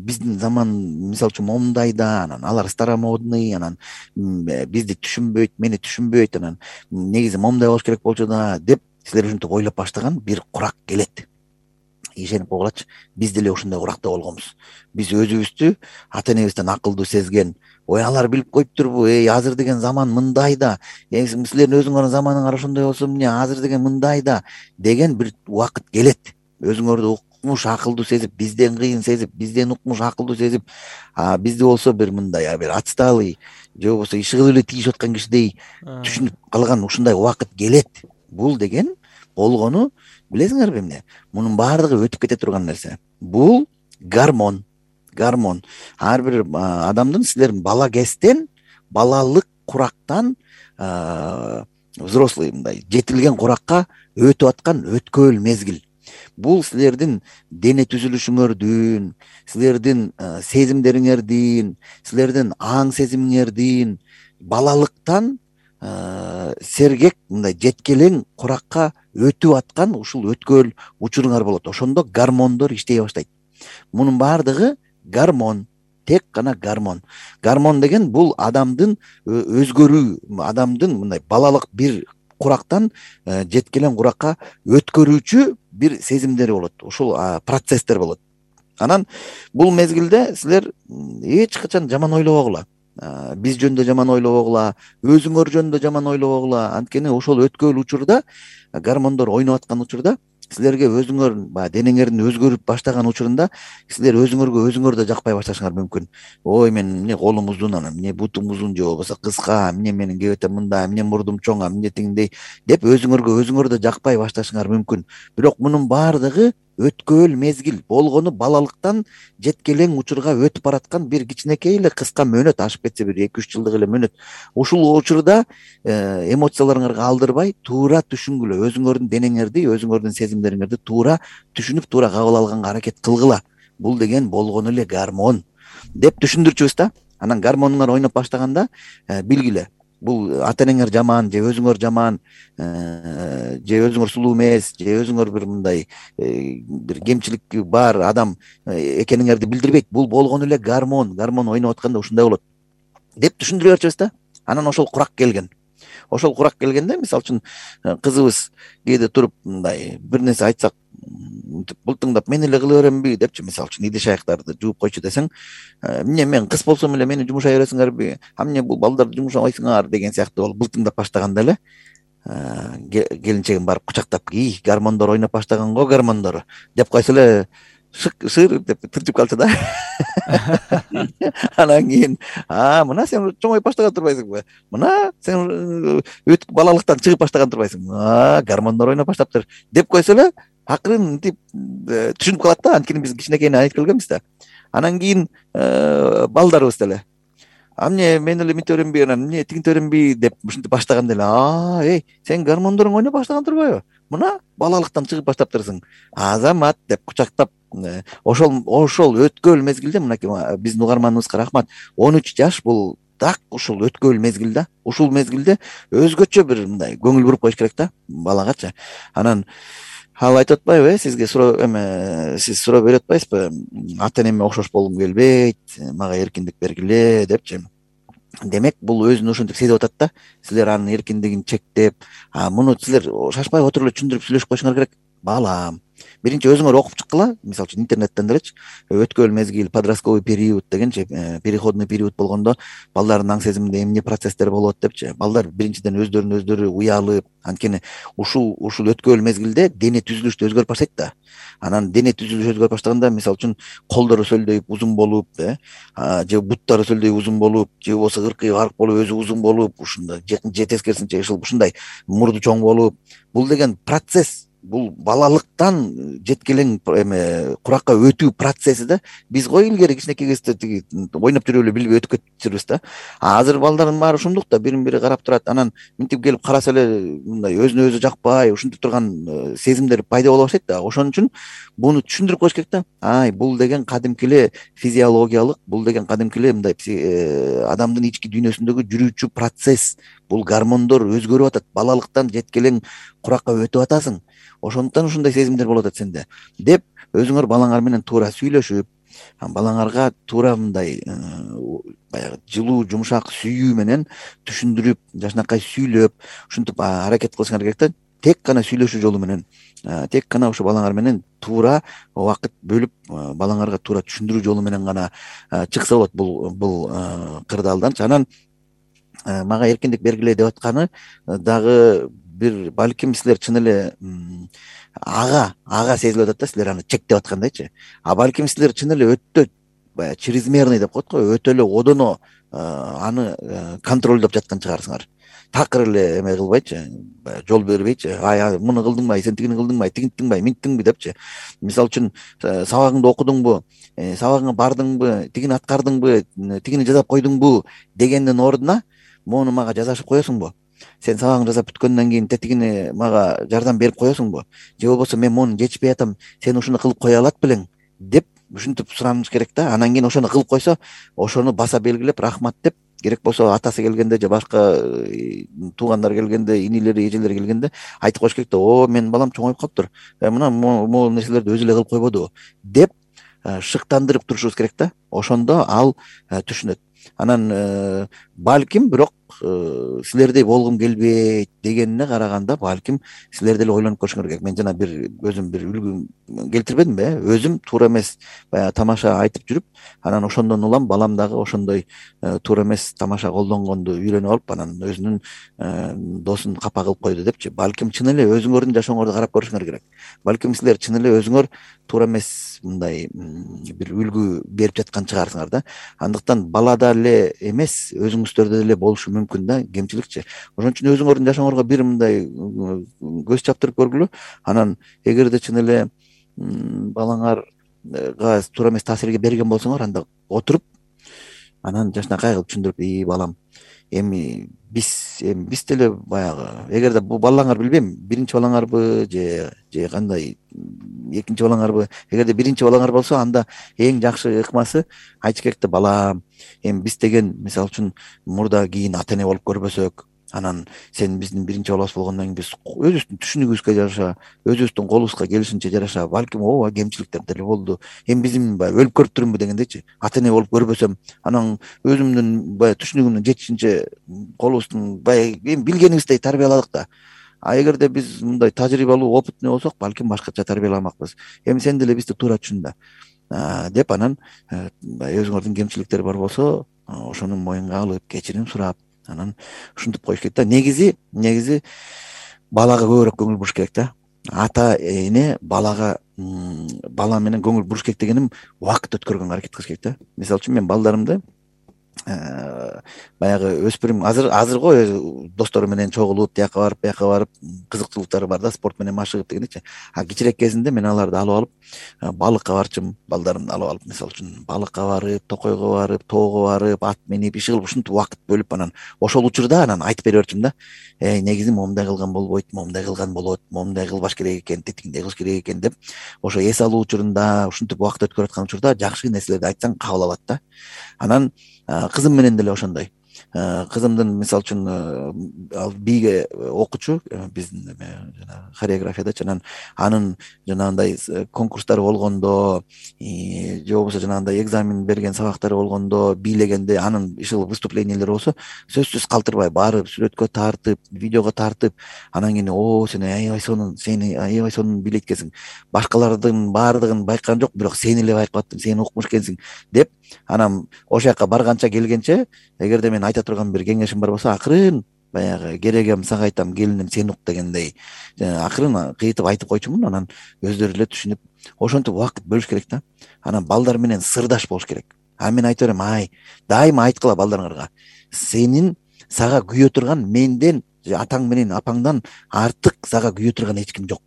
Speaker 2: биздин заман мисалы үчүн момундай да, анан алар старомодный, анан бизди түшүнбөйт, мени түшүнбөйт, анан негизи момундай болуш керек болчу да деп силер ушинтип ойлоп баштаган бир курак келет. Ишенип койгулачы, биз деле ушундай куракта болгонбуз. Биз өзүбүздү ата энебизден акылдуу сезген, ой алар билип коюптурбу, эй азыр деген заман мындай да, силердин өзүңөрдүн заманыңар ошондой болсо эмне, азыр деген мындай да деген бир убакыт келет. Өзүңөрдү укмуш акылдуу сезип, бизден кыйын сезип, бизден укмуш акылдуу сезип, а бизди болсо бир мындай бир отсталый же болбосо иши кылып эле тийишип аткан кишидей түшүнүп калган ушундай убакыт келет. Бул деген болгону билесиңерби эмне? Мунун баардыгы өтүп кете турган нерсе. Бул гормон. Гормон. Ар бир адамдын, силердин бала кезден, балалык курактан взрослый мындай жетилген куракка өтүп аткан өткөөл мезгил. Бул силердин дене түзүлүшүңөрдүн, силердин сезимдериңердин, силердин аң сезимиңердин балалыктан сергек мындай жеткелең куракка өтүп аткан ушул өткөөл учуруңар болот. Ошондо гормондор иштей баштайт. Мунун баардыгы гормон, тек гана гормон. Гормон деген бул адамдын өзгөрүү, адамдын мындай балалык бир курактан жеткелең куракка өткөрүүчү бир сезимдери болот. Ушул процесстер болот. Анан бул мезгилде силер эч качан жаман ойлобогула. Биз жөнүндө жаман ойлобогула, өзүңөр жөнүндө жаман ойлобогула. Анткени ошол өткөөл учурда, гормондор ойноп аткан учурда, силерге өзүңөр баягы денеңердин өзгөрүп баштаган учурунда силер өзүңөргө өзүңөр да жакпай башташыңар мүмкүн. Ой, мен эмне колум узун, анан эмне бутум узун же болбосо кыска, эмне менин кебетем мындай, эмне мурдум чоң, эмне тигиндей деп өзүңөргө өзүңөр да жакпай башташыңар мүмкүн. Бирок мунун баардыгы өткөөл мезгил болгону балалыктан жеткелең учурга өтүп бараткан бир кичинекей эле кыска мөөнөт, ашып кетсе бир эки үч жылдык эле мөөнөт. Ушул учурда эмоцияларыңарга алдырбай туура түшүнгүлө, өзүңөрдүн денеңерди, өзүңөрдүн сезимдериңерди туура түшүнүп, туура кабыл алганга аракет кылгыла. Бул деген болгону эле гормон деп түшүндүрчүбүз да. Анан гормонуңар ойноп баштаганда билгиле, бул ата энеңер жаман же өзүңөр жаман, же өзүңөр сулуу эмес, же өзүңөр бир мындай бир кемчилик бар адам экениңерди билдирбейт. Бул болгону эле гормон. Гормон ойноп атканда ушундай болот деп түшүндүрө берчүбүз да. Анан ошол курак келген. Ошол курак келгенде, мисалы үчүн кызыбыз кээде туруп мындай бир нерсе айтсак, бултыңдап мен эле кыла беремби депчи, мисалы үчүн идиш аяктарды жууп койчу десең, эмне мен кыз болсом эле мени жумушай бересиңерби, а эмне бул балдарды жумушабайсыңар деген сыяктуу болуп бултыңдап баштаганда эле келинчегим барып кучактап, ий, гормондор ойноп баштаган го, гормондор деп койсо эле шык шыр деп тырчып калчу да. Анан кийин, а мына сен чоңоюп баштаган турбайсыңбы? Мына сен балалыктан чыгып баштаган турбайсыңбы? А гормондор ойноп баштаптыр деп койсо эле акырын мынтип түшүнүп калат да. Анткени биз кичинекейинен айтып келгенбиз да. Анан кийин балдарыбыз деле, а эмне мен эле мынтип беремби, анан эмне тигинтип беремби деп ушинтип баштаганда эле, а эй, сен гормондоруң ойноп баштаган турбайбы? Мына балалыктан чыгып баштаптырсың. Азамат деп кучактап, ошол ошол өткөөл мезгилде, мынакей биздин угарманыбызга рахмат, он үч жаш бул так ушул өткөөл мезгил да. Ушул мезгилде өзгөчө бир мындай көңүл буруп коюш керек да балагачы. Анан ал айтып атпайбы, э, сизге суроо эме сиз суроо берип атпайсызбы? Ата энеме окшош болгум келбейт, мага эркиндик бергиле депчи. Демек бул өзүн ошентип сезип атат да. Силер анын эркиндигин чектеп, а муну силер шашпай отуруп эле түшүндүрүп сүйлөшүп коюшуңар керек. балам, биринчи өзүңөр окуп чыккыла, мисалы үчүн интернеттен делечи, өткөл мезгил, подростковый период дегенчи, переходный период болгондо балдардын аң сезиминде эмне процесстер болот депчи. Балдар биринчиден өздөрүнө өздөрү уялып, анткени ушул ушул өткөл мезгилде дене түзүлүшү өзгөрүп баштайт да. Анан дене түзүлүшү өзгөрүп баштаганда, мисалы үчүн колдору сөлдөйүп узун болуп, э, же буттары сөлдөйүп узун болуп, же болбосо ыркы арык болуп өзү узун болуп, ушундай же тескерисинче ушундай мурду чоң болуп, бул деген процесс. Бул балалыктан жеткилең эме куракка өтүү процесси да. Биз го илгери кичинекей кезде тиги ойноп жүрүп эле билбей өтүп кетирбиз да. Азыр балдардын баары ушундук да, бирин бири карап турат, анан минтип келип караса эле мындай өзүнө өзү жакпай, ушинтип турган сезимдер пайда боло баштайт да. Ошон үчүн буну түшүндүрүп коюш керек да. Ай, бул деген кадимки эле физиологиялык, бул деген кадимки эле мындай адамдын ички дүйнөсүндөгү жүрүүчү процесс. Бул гормондор өзгөрүп атат, балалыктан жеткилең куракка өтүп атасың. Ошондуктан ушундай сезимдер болуп атат сенде деп өзүңөр балаңар менен туура сүйлөшүп, балаңарга туура мындай баягы жылуу, жумшак сүйүү менен түшүндүрүп, жакшынакай сүйлөп, ушинтип аракет кылышыңар керек да. Тек гана сүйлөшүү жолу менен, тек гана ошо балаңар менен туура убакыт бөлүп, балаңарга туура түшүндүрүү жолу менен гана чыкса болот бул бул кырдаалданчы. Анан мага эркиндик бергиле деп атканы дагы бир, балким силер чын эле ага ага сезилип атат да, силер аны чектеп аткандайчы. А балким силер чын эле өтө баягы чрезмерный деп коет го, өтө эле одоно аны контролдоп жаткан чыгарсыңар. Такыр эле эме кылбайчы, жол бербейчи, ай муну кылдыңбы, сен тигини кылдыңбы, тигинтиңби, минттиңби депчи. Мисалы үчүн сабагыңды окудуңбу, сабагыңа бардыңбы, тигини аткардыңбы, тигини жасап койдуңбу дегендин ордуна мону мага жазашып коесуңбу? Сен сабагыңды жасап бүткөндөн кийин тетигини мага жардам берип коесуңбу? Же болбосо мен мону жетишпей атам, сен ушуну кылып кое алат белең деп ушинтип сураныш керек да. Анан кийин ошону кылып койсо, ошону баса белгилеп рахмат деп, керек болсо атасы келгенде же башка туугандар келгенде, инилери, эжелери келгенде айтып коюш керек да. О, менин балам чоңоюп калыптыр, мына могу нерселерди өзү эле кылып койбодубу деп шыктандырып турушубуз керек да. Ошондо ал түшүнөт. Анан балким бирок силердей болгум келбейт дегенине караганда, балким силер деле ойлонуп көрүшүңөр керек. Мен жана бир өзүм бир үлгү келтирбедимби, э? Өзүм туура эмес баягы тамаша айтып жүрүп, анан ошондон улам балам дагы ошондой туура эмес тамаша колдонгонду үйрөнүп алып, анан өзүнүн досун капа кылып койду депчи. Балким чын эле өзүңөрдүн жашооңорду карап көрүшүңөр керек. Балким силер чын эле өзүңөр туура эмес мындай бир үлгү берип жаткан чыгарсыңар да. Андыктан балада эле эмес, өзүңүздөрдө деле болушу мүмкүн да кемчиликчи. Ошон үчүн өзүңөрдүн жашооңорго бир мындай көз чаптырып көргүлө. Анан эгерде чын эле балаңарга туура эмес таасирге берген болсоңор, анда отуруп, анан жакшынакай кылып түшүндүрүп, и балам, эми биз эми биз деле баягы, эгерде бул балаңар билбейм, биринчи балаңарбы же же кандай экинчи балаңарбы, эгерде биринчи балаңар болсо, анда эң жакшы ыкмасы айтыш керек да. Балам, эми биз деген мисалы үчүн мурда кийин ата эне болуп көрбөсөк, анан сен биздин биринчи балабыз болгондон кийин биз өзүбүздүн түшүнүгүбүзгө жараша, өзүбүздүн колубузга келишинче жараша, балким ооба кемчиликтер деле болду, эми биздин баягы өлүп көрүп турумбу дегендейчи. Ата эне болуп көрбөсөм, анан өзүмдүн баягы түшүнүгүмдүн жетишинче колубуздун баягы эми билгенибиздей тарбияладык да. А эгерде биз мындай тажрыйбалуу, опытный болсок, балким башкача тарбияламакпыз. Эми сен деле бизди туура түшүн да деп, анан өзүңөрдүн кемчиликтери бар болсо, ошону моюнга алып, кечирим сурап, анан ушинтип коюш керек да. Негизи негизи балага көбүрөөк көңүл буруш керек да. Ата эне балага бала менен көңүл буруш керек дегеним, убакыт өткөргөнгө аракет кылыш керек да. Мисалы үчүн мен балдарымды баягы өспүрүм азыр азыр го достору менен чогулуп, тияка барып, бияка барып, кызыкчылыктары бар да, спорт менен машыгып дегендейчи. А кичирээк кезинде мен аларды алып алып балыкка барчым, балдарымды алып алып, мисалы үчүн балыкка барып, токойго барып, тоого барып, ат минип, иши кылып, ушинтип убакыт бөлүп, анан ошол учурда анан айтып бере берчим да. Эй, негизи момундай кылган болбойт, момундай кылган болот, момундай кылбаш керек экен, тетигиндей кылыш керек экен деп, ошо эс алуу учурунда, ушинтип убакыт өткөрүп аткан учурда жакшы нерселерди айтсаң кабыл алат да. Анан кызым менен деле ошондой. кызымдын мисалы үчүн ал бийге окуучу биздин жана хореографиядачы, анан анын жанагындай конкурстары болгондо же болбосо жанагындай экзамен берген сабактары болгондо бийлегенде анын ишыл выступлениелери болсо сөзсүз калтырбай барып сүрөткө тартып, видеого тартып, анан кийин о сен аябай сонун сени аябай сонун бийлейт экенсиң, башкалардын баардыгын байкаган жок, бирок сени эле байкап аттым, сен укмуш экенсиң деп, анан ошол жака барганча келгенче, эгерде мен айта турган бир кеңешим бар болсо, акырын баягы керегем сага айтам, келиним сен ук дегендей акырын кыйтып айтып койчумун. Анан өздөрү эле түшүнүп ошентип убакыт бөлүш керек да. Анан балдар менен сырдаш болуш керек. А мен айта берем, ай дайыма айткыла балдарыңарга, сенин сага күйө турган менден, атаң менен апаңдан артык сага күйө турган эч ким жок.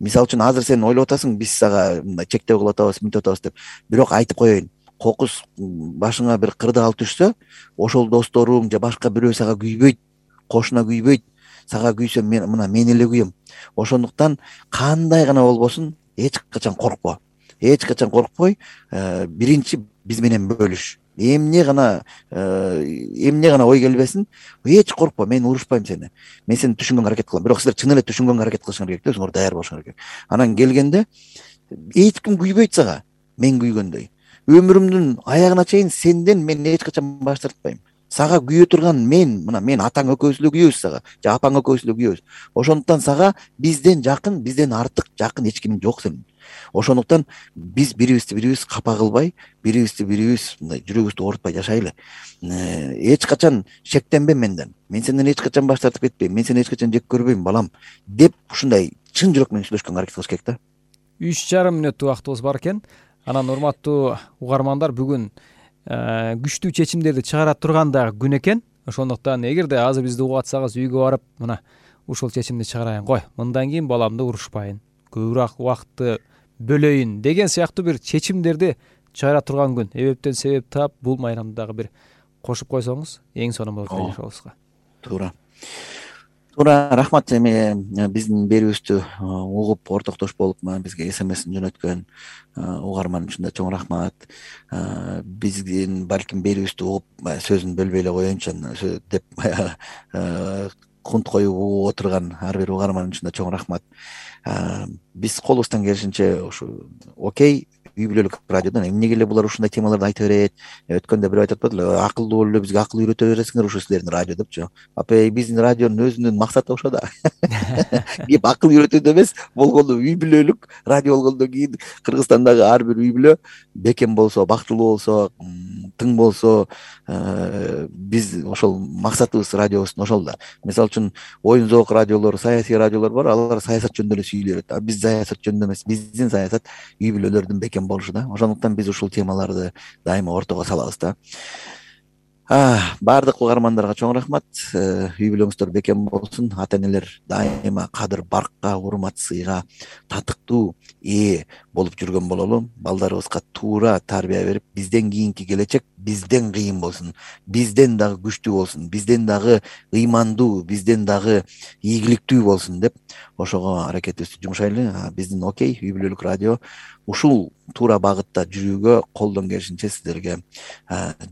Speaker 2: Мисалы үчүн азыр сен ойлоп атасың, биз сага чектөө кылып атабыз, мынтип атабыз деп. Бирок айтып коеюн, кокус башыңа бир кырдаал түшсө, ошол досторуң же башка бирөө сага күйбөйт, кошуна күйбөйт, сага күйсө мен мына мен эле күйөм. Ошондуктан кандай гана болбосун эч качан коркпо. Эч качан коркпой, биринчи биз менен бөлүш. Эмне гана эмне гана ой келбесин, эч коркпо, мен урушпайм сени. Мен сени түшүнгөнгө аракет кылам. Бирок силер чын эле түшүнгөнгө аракет кылышыңар керек да, өзүңөр даяр болушуңар керек. Анан келгенде эч ким күйбөйт сага, мен күйгөндөй. Өмүрүмдүн аягына чейин сенден мен эч качан баш тартпайм. Сага күйө турган мен, мына мен атаң экөөбүз эле күйөбүз сага, же апаң экөөбүз эле күйөбүз. Ошондуктан сага бизден жакын, бизден артык жакын эч ким жок сенин. Ошондуктан биз бирибизди бирибиз капа кылбай, бирибизди бирибиз мындай жүрөгүбүздү оорутпай жашайлы. Эч качан шектенбе менден. Мен сенден эч качан баш тартып кетпейм. Мен сени эч качан жек көрбөйм, балам, деп ушундай чын жүрөк менен сүйлөшкөнгө аракет кылыш керек да. үч жарым
Speaker 3: мүнөттүк убактыбыз бар экен. Анан урматтуу угармандар, бүгүн күчтүү чечимдерди чыгара турган дагы күн экен. Ошондуктан эгерде азыр бизди угуп атсаңыз, үйгө барып, мына ушул чечимди чыгарайын, кой, мындан кийин баламды урушпайын, көбүрөөк убакытты бөлөйүн деген сыяктуу бир чечимдерди чыгара турган күн. Эбептен себеп таап, бул майрамды дагы бир кошуп койсоңуз эң сонун болот жашообузга.
Speaker 2: Туура. Туура, рахмат. Эми биздин берүүбүздү угуп ортоктош болуп бизге смсин жөнөткөн угарман үчүн да чоң рахмат. Биздин балким берүүбүздү угуп сөзүн бөлбөй эле коеюнчу деп кунт коюп угуп отурган ар бир угарман үчүн да чоң рахмат. Биз колубуздан келишинче ушу окей үй бүлөлүк радиодон эмнеге эле булар ушундай темаларды айта берет? Өткөндө бирөө айтып атпадылы, акылдуу болуп эле бизге акыл үйрөтө бересиңер ушу силердин радио депчү. Апай, биздин радионун өзүнүн максаты ошо да. Кеп акыл үйрөтүүдө эмес, болгону үй бүлөлүк радио болгондон кийин Кыргызстандагы ар бир үй бүлө бекем болсо, бактылуу болсо, тың болсо, биз ошол максатыбыз радиобуздун ошол да. Мисалы үчүн оюн зоок радиолор, саясий радиолор бар, алар саясат жөнүндө эле сүйлөйт. А биз саясат жөнүндө эмес, биздин саясат үй бүлөлөрдүн бекем болушу да. Ошондуктан биз ушул темаларды дайыма ортого салабыз да. Баардык угармандарга чоң рахмат. Үй бүлөңүздөр бекем болсун. Ата энелер дайыма кадыр баркка, урмат сыйга татыктуу ээ болуп жүргөн бололу. Балдарыбызга туура тарбия берип, бизден кийинки келечек бизден кыйын болсун, бизден дагы күчтүү болсун, бизден дагы ыймандуу, бизден дагы ийгиликтүү болсун деп ошого аракетибизди жумшайлы. Биздин окей үй бүлөлүк радио ушул туура багытта жүрүүгө колдон келишинче сиздерге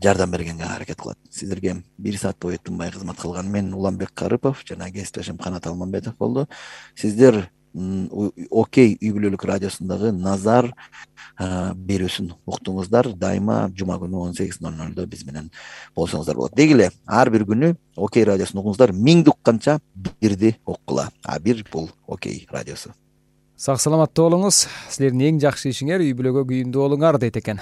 Speaker 2: жардам бергенге аракет кылат. Сиздерге бир саат бою тынбай кызмат кылган мен Уланбек Карыпов жана кесиптешим Канат Алмамбетов болду. Сиздер окей үй бүлөлүк радиосундагы Назар берүүсүн уктуңуздар. Дайыма жума күнү он сегиз ноль нолдо биз менен болсоңуздар болот. Деги эле ар бир күнү окей радиосун угуңуздар. Миңди укканча бирди уккула. А бир бул окей радиосу.
Speaker 3: Сак саламаттуу болуңуз. Силердин эң жакшы ишиңер үй бүлөгө күйүндүү болуңар дейт экен.